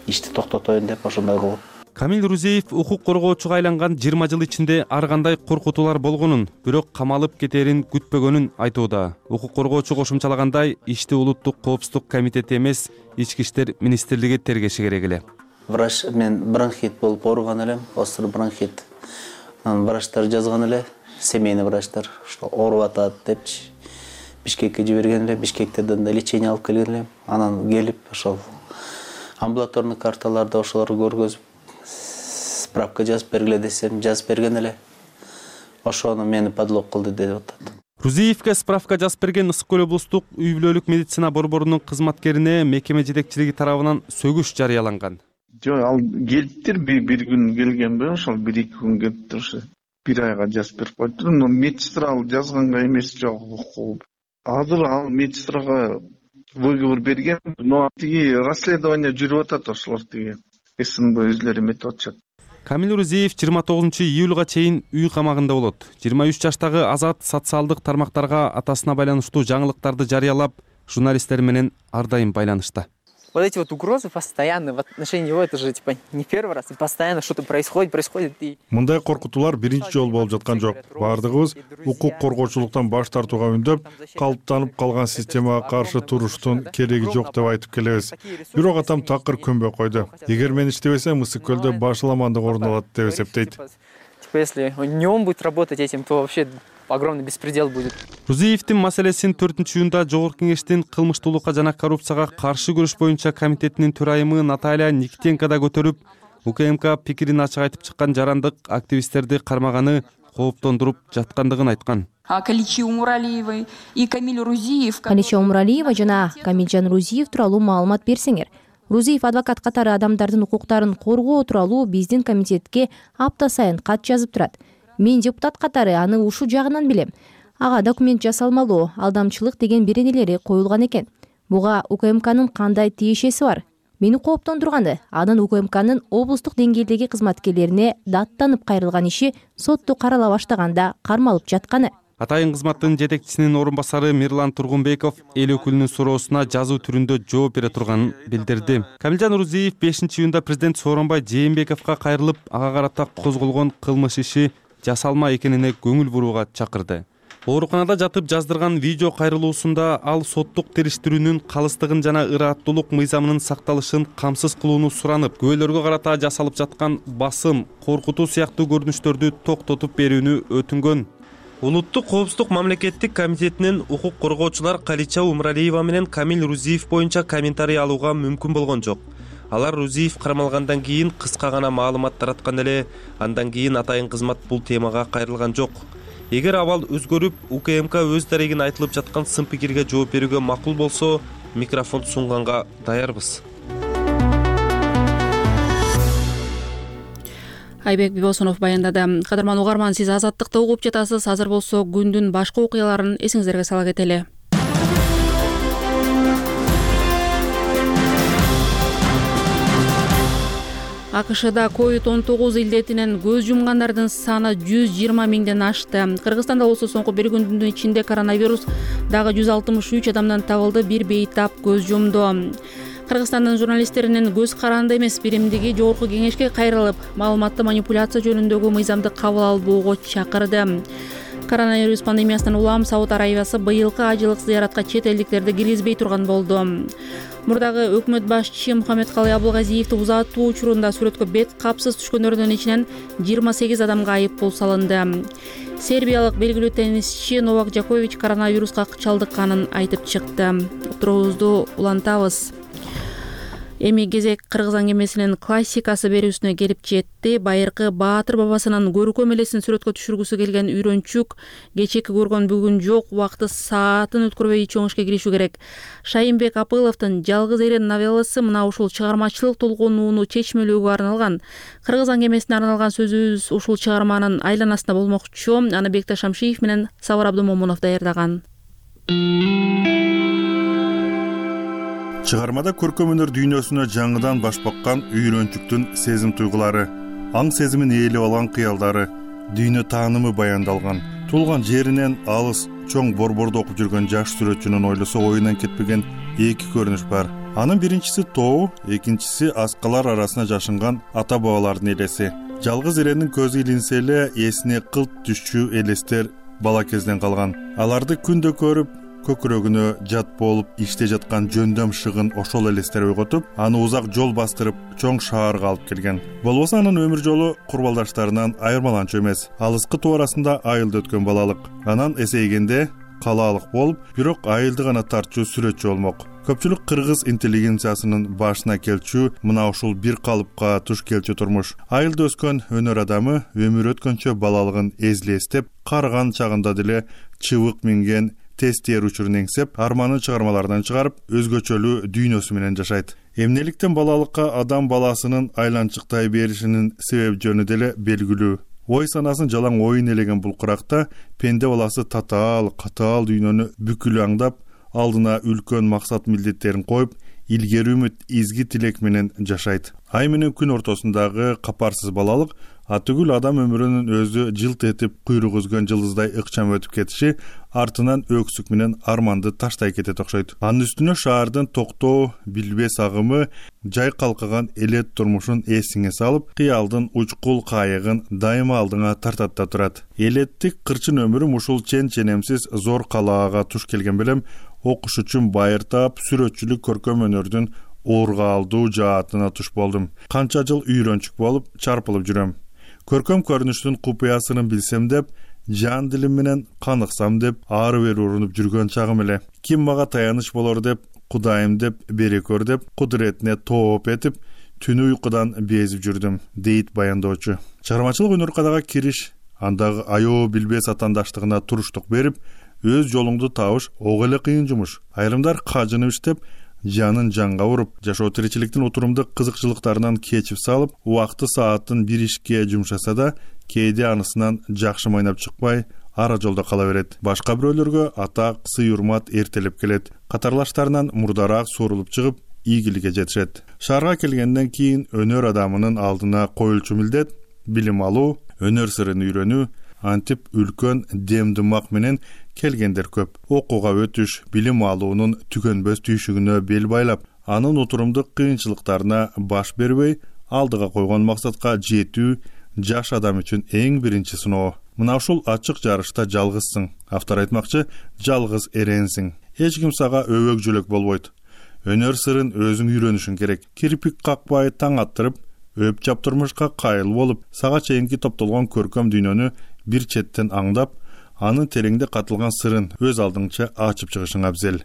S18: ишти токтотоюн деп ошондой кылып.
S10: Камил Рузиев укук коргоочуга айланган жыйырма жыл ичинде ар кандай коркутуулар болгонун, бирок камалып кетерин күтпөгөнүн айтууда. Укук коргоочу кошумчалагандай, ишти улуттук коопсуздук комитети эмес, ички иштер министрлиги тергеши керек эле.
S18: Врач мен бронхит болуп ооруган элем, остр бронхит. Анан врачтар жазган эле, семейный врачтар, что ооруп атат депчи. Бишкекке жиберген эле, Бишкектен да лечение алып келген элем. Анан келип ошол амбулаторный карталарды ошолорду көргөзүп, справка жазып бергиле десем, жазып берген эле. Ошону мени подлог кылды деп атат.
S10: Рузиевке справка жазып берген Ысык көл облустук үй бүлөлүк медицина борборунун кызматкерине мекеме жетекчилиги тарабынан сөгүш жарыяланган.
S4: Жок, ал келиптир, бир күн келгенби, ошол бир эки күн келиптир, ошо бир айга жазып берип коюптур. Но медсестра ал жазганга эмес, жок. Азыр ал медсестрага выговор берген, но тиги расследование жүрүп атат, ошолор тиги СНБ өзлөрү эметип атышат.
S10: Камил Рузиев жыйырма тогузунчу июлга чейин үй камагында болот. жыйырма үч жаштагы Азат социалдык тармактарга атасына байланыштуу жаңылыктарды жарыялап, журналисттер менен ар дайым байланышта.
S13: Вот эти вот угрозы постоянно в отношении него, это же типа не первый раз, и постоянно что-то происходит, происходит. И...
S14: Мындай коркутуулар биринчи жолу болуп жаткан жок. Бардыгыбыз укук коргоочулуктан баш тартууга үндөп, калыптанып калган системага каршы туруштун кереги жок деп айтып келебиз. Бирок атам такыр көнбөй койду. Эгер мен иштебесем, Ысык көлдө башаламандык орун алат деп эсептейт.
S13: Типа если не он будет работать этим, то вообще огромный беспредел будет.
S10: Рузиевдин маселесин төртүнчү июнда Жогорку Кеңештин кылмыштуулукка жана коррупцияга каршы күрөш боюнча комитетинин төрайымы Наталья Никитенко да көтөрүп, УКМК пикирин ачык айтып чыккан жарандык активисттерди кармаганы кооптондуруп жаткандыгын айткан.
S15: Каличи Умуралиевой и Камиль Рузиев.
S19: Каличи Умуралиева жана Камилжан Рузиев тууралуу маалымат берсеңер. Рузиев адвокат катары адамдардын укуктарын коргоо тууралуу биздин комитетке апта сайын кат жазып турат. Мен депутат катары аны ушул жагынан билем. Ага документ жасалмалуу, алдамчылык деген беренелери коюлган экен. Буга УКМКнын кандай тиешеси бар? Мени кооптондурганы анын УКМКнын облустук деңгээлдеги кызматкерлерине даттанып кайрылган иши сотто карала баштаганда кармалып жатканы.
S10: Атайын кызматтын жетекчисинин орун басары Мирлан Тургунбеков эл өкүлүнүн суроосуна жазуу түрүндө жооп бере турганын билдирди. Камилжан Рузиев бешинчи июнда президент Сооронбай Жээнбековго кайрылып, ага карата козголгон кылмыш иши жасалма экенине көңүл бурууга чакырды. Ооруканада жатып жаздырган видео кайрылуусунда ал соттук териштирүүнүн калыстыгын жана ырааттуулук мыйзамынын сакталышын камсыз кылууну суранып, күбөлөргө карата жасалып жаткан басым, коркутуу сыяктуу көрүнүштөрдү токтотуп берүүнү өтүнгөн. Улуттук коопсуздук мамлекеттик комитетинин укук коргоочулар Калича Умуралиева менен Камиль Рузиев боюнча комментарий алууга мүмкүн болгон жок. Алар Рузиев кармалгандан кийин кыска гана маалымат тараткан эле, андан кийин атайын кызмат бул темага кайрылган жок. Эгер абал өзгөрүп, УКМК өз дарегин айтылып жаткан сын пикирге жооп берүүгө макул болсо, микрофон сунганга даярбыз.
S1: Айбек Бибосунов баяндады. Кадырман угарман, сиз Азаттыкты угуп жатасыз. Азыр болсо күндүн башка окуяларын эсиңиздерге сала кетели. АКШда ковид он тогуз илдетинен көз жумгандардын саны жүз жыйырма миңден ашты. Кыргызстанда болсо соңку бир күндүн ичинде коронавирус дагы жүз алтымыш үч адамдан табылды, бир бейтап көз жумду. Кыргызстандын журналисттеринин көз каранды эмес биримдиги Жогорку Кеңешке кайрылып, маалыматты манипуляция жөнүндөгү мыйзамды кабыл албоого чакырды. Коронавирус пандемиясынан улам Сауд Арабиясы быйылкы ажылык зыяратка чет элдиктерди киргизбей турган болду. Мурдагы өкмөт башчысы Мухаммедкалый Абылгазиевди узатуу учурунда сүрөткө бет капсыз түшкөндөрдүн ичинен жыйырма сегиз адамга айып пул салынды. Сербиялык белгилүү теннисчи Новак Джокович коронавируска чалдыкканын айтып чыкты. Отуруубузду улантабыз. Эми кезек кыргыз аңгемесинин классикасы берүүсүнө келип жетти. Байыркы Баатыр бабасынын көркөм элесин сүрөткө түшүргүсү келген үйрөнчүк кечээки көргөн бүгүн жок, убакыты саатын өткөрбөй чоң ишке киришүү керек. Шайынбек Апыловдун Жалгыз эрен новелласы мына ушул чыгармачылык толгонууну чечмелөөгө арналган. Кыргыз аңгемесине арналган сөзүбүз ушул чыгарманын айланасында болмокчу. Аны Бекташ Шамшиев менен Сабыр Абдумомунов даярдаган.
S14: Чыгармада көркөм өнөр дүйнөсүнө жаңыдан баш баккан үйрөнчүктүн сезим туйгулары, аң сезимин ээлеп алган кыялдары, дүйнө таанымы баяндалган. Туулган жеринен алыс чоң борбордо окуп жүргөн жаш сүрөтчүнүн ойлосо оюнан кетпеген эки көрүнүш бар. Анын биринчиси тоо, экинчиси аскалар арасына жашынган ата бабалардын элеси. Жалгыз эренин көзү илинсе эле эсине кылт түшчү элестер бала кезден калган. Аларды күндө көрүп, көкүрөгүнө жат болуп иште жаткан жөндөм шыгын ошол элестер ойготуп, аны узак жол бастырып, чоң шаарга алып келген. Болбосо анын өмүр жолу курбалдаштарынан айырмаланчу эмес. Алыскы тоо арасында айылда өткөн балалык. Анан эсейгенде
S5: калаалык болуп, бирок айылды гана тартчу сүрөтчү болмок. Көпчүлүк кыргыз интеллигенциясынын башына келчү мына ушул бир калыпка туш келчү турмуш. Айылда өскөн өнөр адамы өмүр өткөнчө балалыгын эзлестеп, карыган чагында деле чыбык минген тез тээр учурун эңсеп, арманын чыгармаларынан чыгарып, өзгөчөлүү дүйнөсү менен жашайт. Эмнеликтен балалыкка адам баласынын айланчыктай беришинин себеп жөнү деле белгилүү. Ой санасын жалаң оюн элеген бул куракта пенде баласы татаал, катаал дүйнөнү бүкүлү аңдап, алдына үлкөн максат милдеттерин коюп, илгери үмүт, изги тилек менен жашайт. Ай менен күн ортосундагы капарсыз балалык атүгүл адам өмүрүнүн өзү жылт этип куйрук үзгөн жылдыздай ыкчам өтүп кетиши артынан өксүк менен арманды таштай кетет окшойт. Анын үстүнө шаардын токтоо, билбес агымы жай калкыган элет турмушун эсиңе салып, кыялдын учкул кайыгын дайыма алдыңа тартат да турат. Элеттик кырчын өмүрүм ушул чен-ченемсиз зор калаага туш келген белем, окуш үчүн байыртап, сүрөтчүлүк көркөм өнөрдүн ооргаалдуу жаатына туш болдум. Канча жыл үйрөнчүк болуп, чарпылып жүрөм. Көркөм көрүнүштүн купуясын билсем деп, жан дилим менен каныксам деп, ары бери урунуп жүргөн чагым эле. Ким мага таяныч болор деп, Кудайым деп, берекөр деп, кудуретине тооп этип, түнү уйкудан безип жүрдүм, дейт баяндоочу. Чыгармачылык өнөр кадага кириш, андагы аябуу билбес атандаштыгына туруштук берип, өз жолуңду табыш ого эле кыйын жумуш. Айрымдар кажынып иштеп, жанын жанга уруп, жашоо тиричиликтин утурумдук кызыкчылыктарынан кечип салып, убакты саатын бир ишке жумшаса да, кээде анысынан жакшы майнап чыкпай, ара жолдо кала берет. Башка бирөөлөргө атак, сый-урмат эртелеп келет. Катарлаштарынан мурдараак суурулуп чыгып, ийгиликке жетишет. Шаарга келгенден кийин өнөр адамынын алдына коюлчу милдет билим алуу, өнөр сырын үйрөнүү, антип үлкөн дем дымак менен келгендер көп. Окууга өтүш, билим алуунун түгөнбөс түйшүгүнө бел байлап, анын утурумдук кыйынчылыктарына баш бербей, алдыга койгон максатка жетүү жаш адам үчүн эң биринчи сыноо. Мына ушул ачык жарышта жалгызсың. Автор айтмакчы, жалгыз эренсиң. Эч ким сага өбөк жөлөк болбойт. Өнөр сырын өзүң үйрөнүшүң керек. Кирпик какпай таң аттырып, өп чаптырмышка кайыл болуп, сага чейинки топтолгон көркөм дүйнөнү бир четтен аңдап, анын тереңде катылган сырын өз алдыңча ачып чыгышың абзел.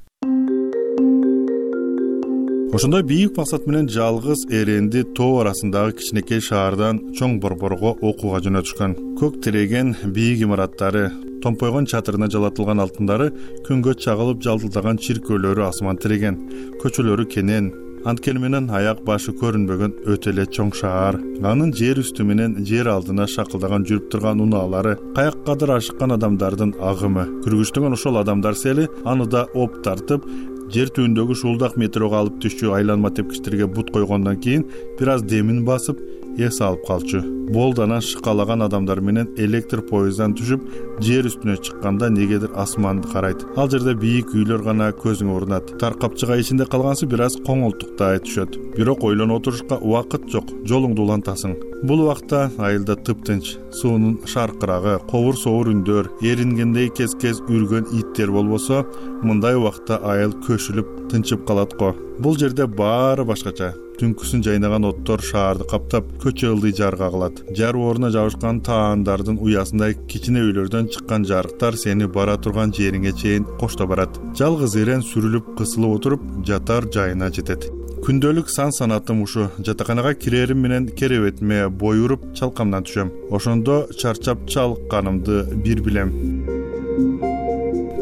S5: Ошондой бийик максат менен жалгыз эренди тоо арасындагы кичинекей шаардан чоң борборго окууга жөнөтүшкөн. Көк тиреген бийик имараттары, томпойгон чатырына жалатылган алтындары, күнгө чагылып жалтылдаган чиркөөлөрү асман тиреген, көчөлөрү кенен, анткени менен аяк башы көрүнбөгөн өтө эле чоң шаар. Анын жер үстү менен жер алдына шакылдаган жүрүп турган унаалары, каяkkадыр ашыккан адамдардын агымы. Күргүчтөгөн ошол адамдар сели аны да оп тартып, жер түбүндөгү шуулдак метрого алып түшчү айланма тепкичтерге бут койгондон кийин бир аз демин басып, эс алып калчу. Болданан шыкалаган адамдар менен электр поездан түшүп, жер үстүнө чыкканда негедир асманды карайт. Ал жерде бийик үйлөр гана көзүңө урунат. Таркапчыга ичинде калгансы бир аз коңолтуктай түшөт. Бирок ойлонуп отурушка убакыт жок, жолуңду улантасың. Бул убакта айылда тыптынч, суунун шаркырагы, ковур соовур үндөр, эрингендей кез-кез үргөн иттер болбосо, мындай убакта айыл көшүлүп, тынчып калат го. Бул жерде баары башкача. Түнкүсүн жайнаган оттор шаарды каптап, көчө ылдый жарга кылат. Жар ордуна жабышкан таандардын уясындай кичине үйлөрдөн чыккан жарыктар сени бара турган жериңе чейин кошто барат. Жалгыз эрен сүрүлүп, кысылып отуруп, жатар жайына жетет. Күндөлүк сан санатым ушу. Жатаканага кирерим менен керебетиме бой уруп, чалкамдан түшөм. Ошондо чарчап чалкканымды бир билем.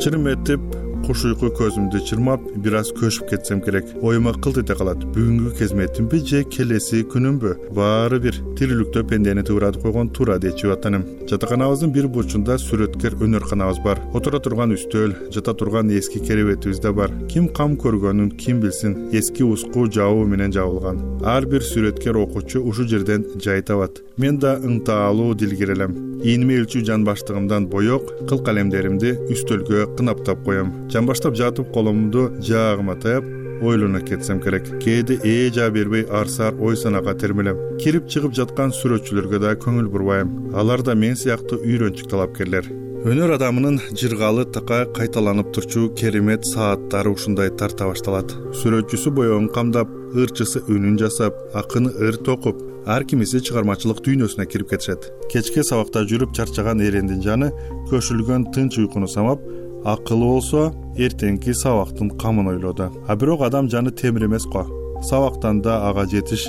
S5: Чырым этип, куш уйку көзүмдү чырмап, бир аз көшүп кетсем керек. Оюма кылт эте калат. Бүгүнкү кезметимби же келеси күнүмбү? Баары бир. Тирүүлүктө пендени тууратып койгон тура дечү атаным. Жатаканабыздын бир бурчунда сүрөткер өнөрканабыз бар. Отура турган үстөл, жата турган эски керебетибиз да бар. Ким кам көргөнүн ким билсин, эски уску жабуу менен жабылган. Ар бир сүрөткер окуучу ушул жерден жай табат. Мен да ыңтаалуу дилгер элем. Ийниме өлчү жан баштыгымдан боек, кыл калемдеримди үстөлгө кынап коем. Жан баштап жатып колумду жаагыма таяп, ойлоно кетсем керек. Кээде ээ жаа бербей арсаар ой санага термелем. Кирип чыгып жаткан сүрөтчүлөргө да көңүл бурбайм. Алар да мен сыяктуу үйрөнчүк талапкерлер. Өнөр адамынын жыргалы такай кайталанып турчу керемет сааттары ушундай тарта башталат. Сүрөтчүсү боёгун камдап, ырчысы үнүн жасап, акыны ыр токуп, ар кимиси чыгармачылык дүйнөсүнө кирип кетишет. Кечке сабакта жүрүп чарчаган эрендин жаны көшүлгөн тынч уйкуну самап, акылы болсо эртеңки сабактын камын ойлоду. А бирок адам жаны темир эмес го. Сабактан да ага жетиш,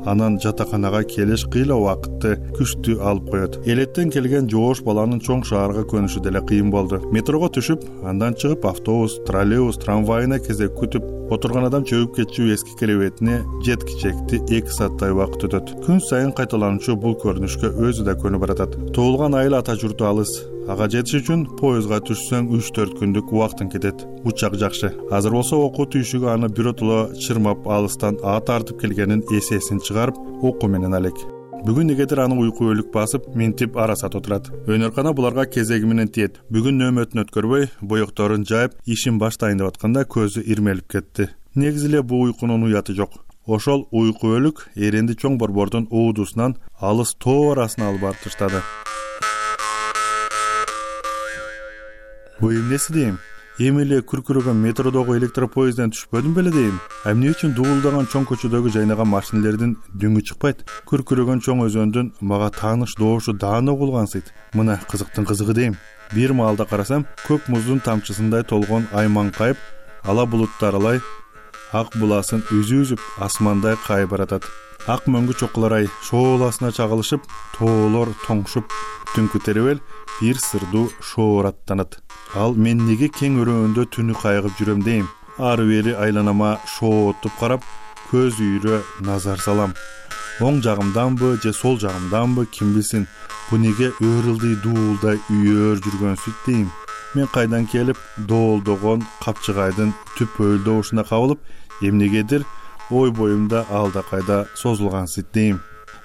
S5: анан жатаканага келиш кыйла убакытты күчтүү алып коет. Элеттен келген жоош баланын чоң шаарга көнүшү деле кыйын болду. Метрого түшүп, андан чыгып автобус, троллейбус, трамвайына кезек күтүп отурган адам чөгүп кетчү эски керебетине жеткичекти эки сааттай убакыт өтөт. Күн сайын кайталануучу бул көрүнүшкө өзү да көнүп баратат. Туулган айыл ата журту алыс. Ага жетиш үчүн поездга түшсөң үч төрт күндүк убактың кетет. Учак жакшы. Азыр болсо окуу түйшүгү аны биротоло чырмап алыстан ат тартып келгенин эсесин чыгарып окуу менен алек. Бүгүн негедир аны уйку өлүк басып, минтип арасат отурат. Өнөркана буларга кезеги менен тиет. Бүгүн нөөмөтүн өткөрбөй, боекторун жайып, ишин баштайын деп атканда көзү ирмелип кетти. Негизи эле бул уйкунун уяты жок. Ошол уйку өлүк эренди чоң борбордун уудусунан алыс тоо арасына алып барып таштады. Бу эмнеси дейм? Эми эле күркүрөгөн метродогу электропоезден түшпөдүм беле дейм. А эмне үчүн дуулдаган чоң көчөдөгү жайнаган машинелердин дүңү чыкпайт? Күркүрөгөн чоң өзөндүн мага тааныш доошу даана угулгансыйт. Мына кызыктын кызыгы дейм. Бир маалда карасам, көк муздун тамчысындай толгон айман кайып, ала булуттар алай ак буласын үзү-үзүп асмандай кайып баратат. Ак мөңгү чокулар ай шооласына чагылышып, тоолор тоңшуп, түнкү теребел бир сырдуу шоораттанат. Ал мен неге кең өрөөндө түнү кайгып жүрөм дейм. Ары бери айланама шоотуп карап, көз үйрө назар салам. Оң жагымданбы же сол жагымданбы ким билсин. Бу неге өрүлдүй дуулдай үйөр жүргөнсүт дейм. Мен кайдан келип, доолдогон капчыгайдын түп өлдөөшүнө кабылып, эмнегедир ой боюмда алда кайда созулгансыт дейм.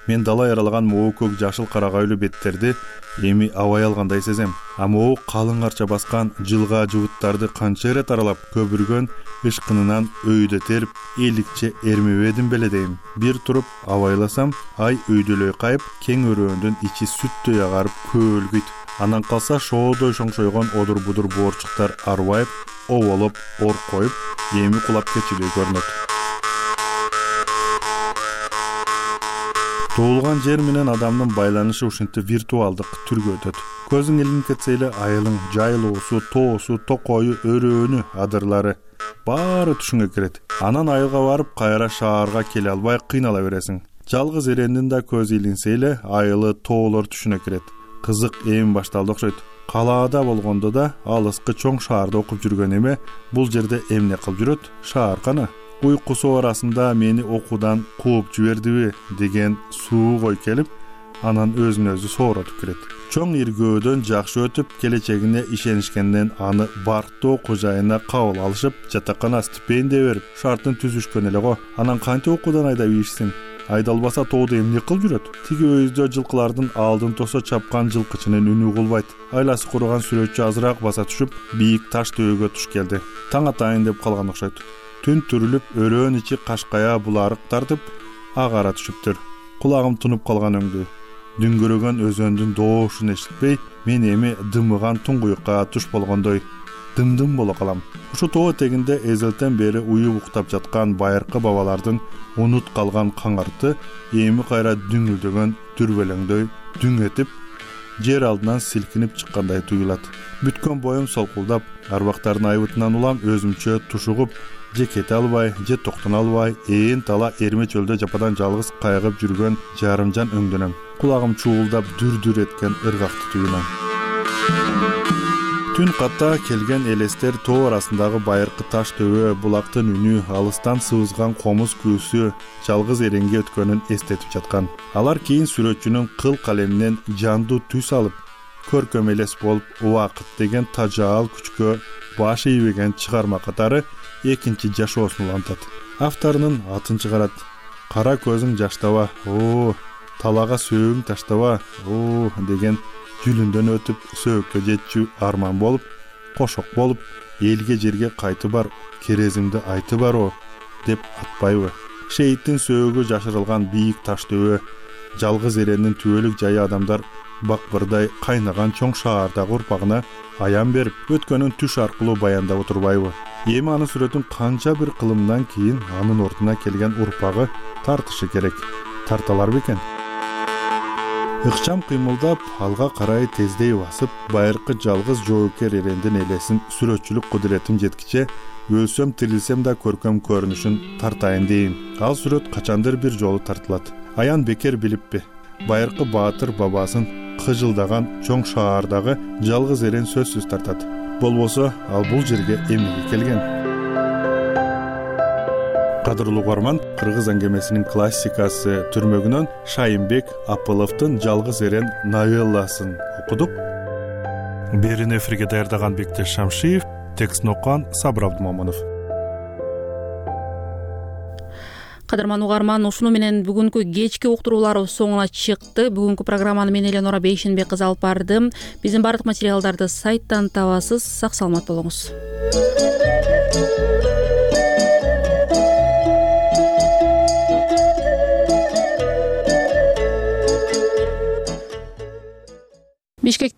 S5: Мен дала яралаган могу көк жашыл карагайлуу беттерди эми абай алгандай сезем. А могу калың арча баскан жылга жыбыттарды канча ирет аралап, көбүргөн ышкынынан өйдө терип, эликче эрмебедим беле дейм. Бир туруп абайласам, ай өйдөлөй кайып, кең өрөөндүн ичи сүттөй агарып көөлгүйт. Анан калса шоодой шоңшойгон одур-будур боорчуктар арбайып, оболоп, ор коюп, эми кулап кетчүдөй көрүнөт. Тоолган жер менен адамдын байланышы ушинтип виртуалдык түргө өтөт. Көзүң илинип кетсе эле айылың, жайлоосу, тоосу, токою, өрөөнү, адырлары баары түшүңө кирет. Анан айылга барып, кайра шаарга келе албай кыйнала бересиң. Жалгыз эрендин да көзү илинсе эле айылы, тоолор түшүнө кирет. Кызык эми башталды окшойт. Калаада болгондо да алыскы чоң шаарда окуп жүргөн эме бул жерде эмне кылып жүрөт? Шаар кана? Уйкусу арасында мени окуудан кууп жибердиби деген суук ой келип, анан өзүн өзү сооротуп кирет. Чоң иргөөдөн жакшы өтүп, келечегине ишенишкенден аны барктуу окуу жайына кабыл алышып, жатакана стипендия берип, шартын түзүшкөн эле го. Анан кантип окуудан айдап ийишсин? Айдалбаса тоодо эмне кылып жүрөт? Тиги өйдө жылкылардын алдын тосо чапкан жылкычынын үнү угулбайт. Айласы куруган сүрөтчү азыраак баса түшүп, бийик таш төбөгө туш келди. Таң атайын деп калган окшойт. Түн түрүлүп, өрөөн ичи кашкая буларык тартып, агара түшүптүр. Кулагым тунуп калган өңдү. Дүңгүрөгөн өзөндүн доошун эшитпей, мен эми дымыган туңгуюкка туш болгондой дым-дым боло калам. Ушу тоо этегинде эзелтен бери уюп уктап жаткан байыркы бабалардын унут калган каңарты эми кайра дүңүлдөгөн дүрбөлөңдөй дүң этип, жер алдынан силкинип чыккандай туюлат. Бүткөн боюм солкулдап, арбактардын айбытынан улам өзүмчө тушугуп, же кете албай, же токтоно албай, ээн тала эрме чөлдө жападан жалгыз кайгып жүргөн жарымжан өңдөнөм. Кулагым чуулдап дүр-дүр эткен ыргакты туюлам. Түн катта келген элестер тоо арасындагы байыркы таш төбө, булактын үнү, алыстан сыбызган комуз күүсү жалгыз эренге өткөнүн эстетип жаткан. Алар кийин сүрөтчүнүн кыл калеминен жандуу түс алып, көркөм элес болуп, убакыт деген тажаал күчкө баш ийбеген чыгарма катары экинчи жашоосун улантат. Авторунун атын чыгарат. Кара көзүң жаштаба, оо, талага сөөгүң таштаба, оо деген жүлүндөн өтүп сөөккө жетчү арман болуп, кошок болуп, элге жерге кайты бар, керезимди айты бар о деп атпайбы? Шейиттин сөөгү жашырылган бийик таш төбө, жалгыз эренин түбөлүк жайы адамдар бакбырдай кайнаган чоң шаардагы урпагына аян берип, өткөнүн түш аркылуу баяндап отурбайбы? Эми анын сүрөтүн канча бир кылымдан кийин анын ордуна келген урпагы тартышы керек. Тарталар бекен? ыкчам кыймылдап, алга карай тездей басып, байыркы жалгыз жоокер эрендин элесин сүрөтчүлүк кудуретим жеткиче өлсөм тирилсем да көркөм көрүнүшүн тартайын дейм. Ал сүрөт качандыр бир жолу тартылат. Аян бекер билиппи? Байыркы баатыр бабасын кыжылдаган чоң шаардагы жалгыз эрен сөзсүз тартат. Болбосо ал бул жерге эмнеге келген? Кадырлуу угарман, кыргыз аңгемесинин классикасы түрмөгүнөн Шайынбек Апыловдун жалгыз эрен новелласын окудук. Берин эфирге даярдаган Бектеш Шамшиев, текстин окуган Сабыр Абдымомунов.
S1: Кадырман угарман, ушуну менен бүгүнкү кечки уктурууларыбыз соңуна чыкты. Бүгүнкү программаны мен Эленора Бейшенбек кызы алып бардым. Биздин бардык материалдарды сайттан табасыз. Сак саламат болуңуз. Бишкек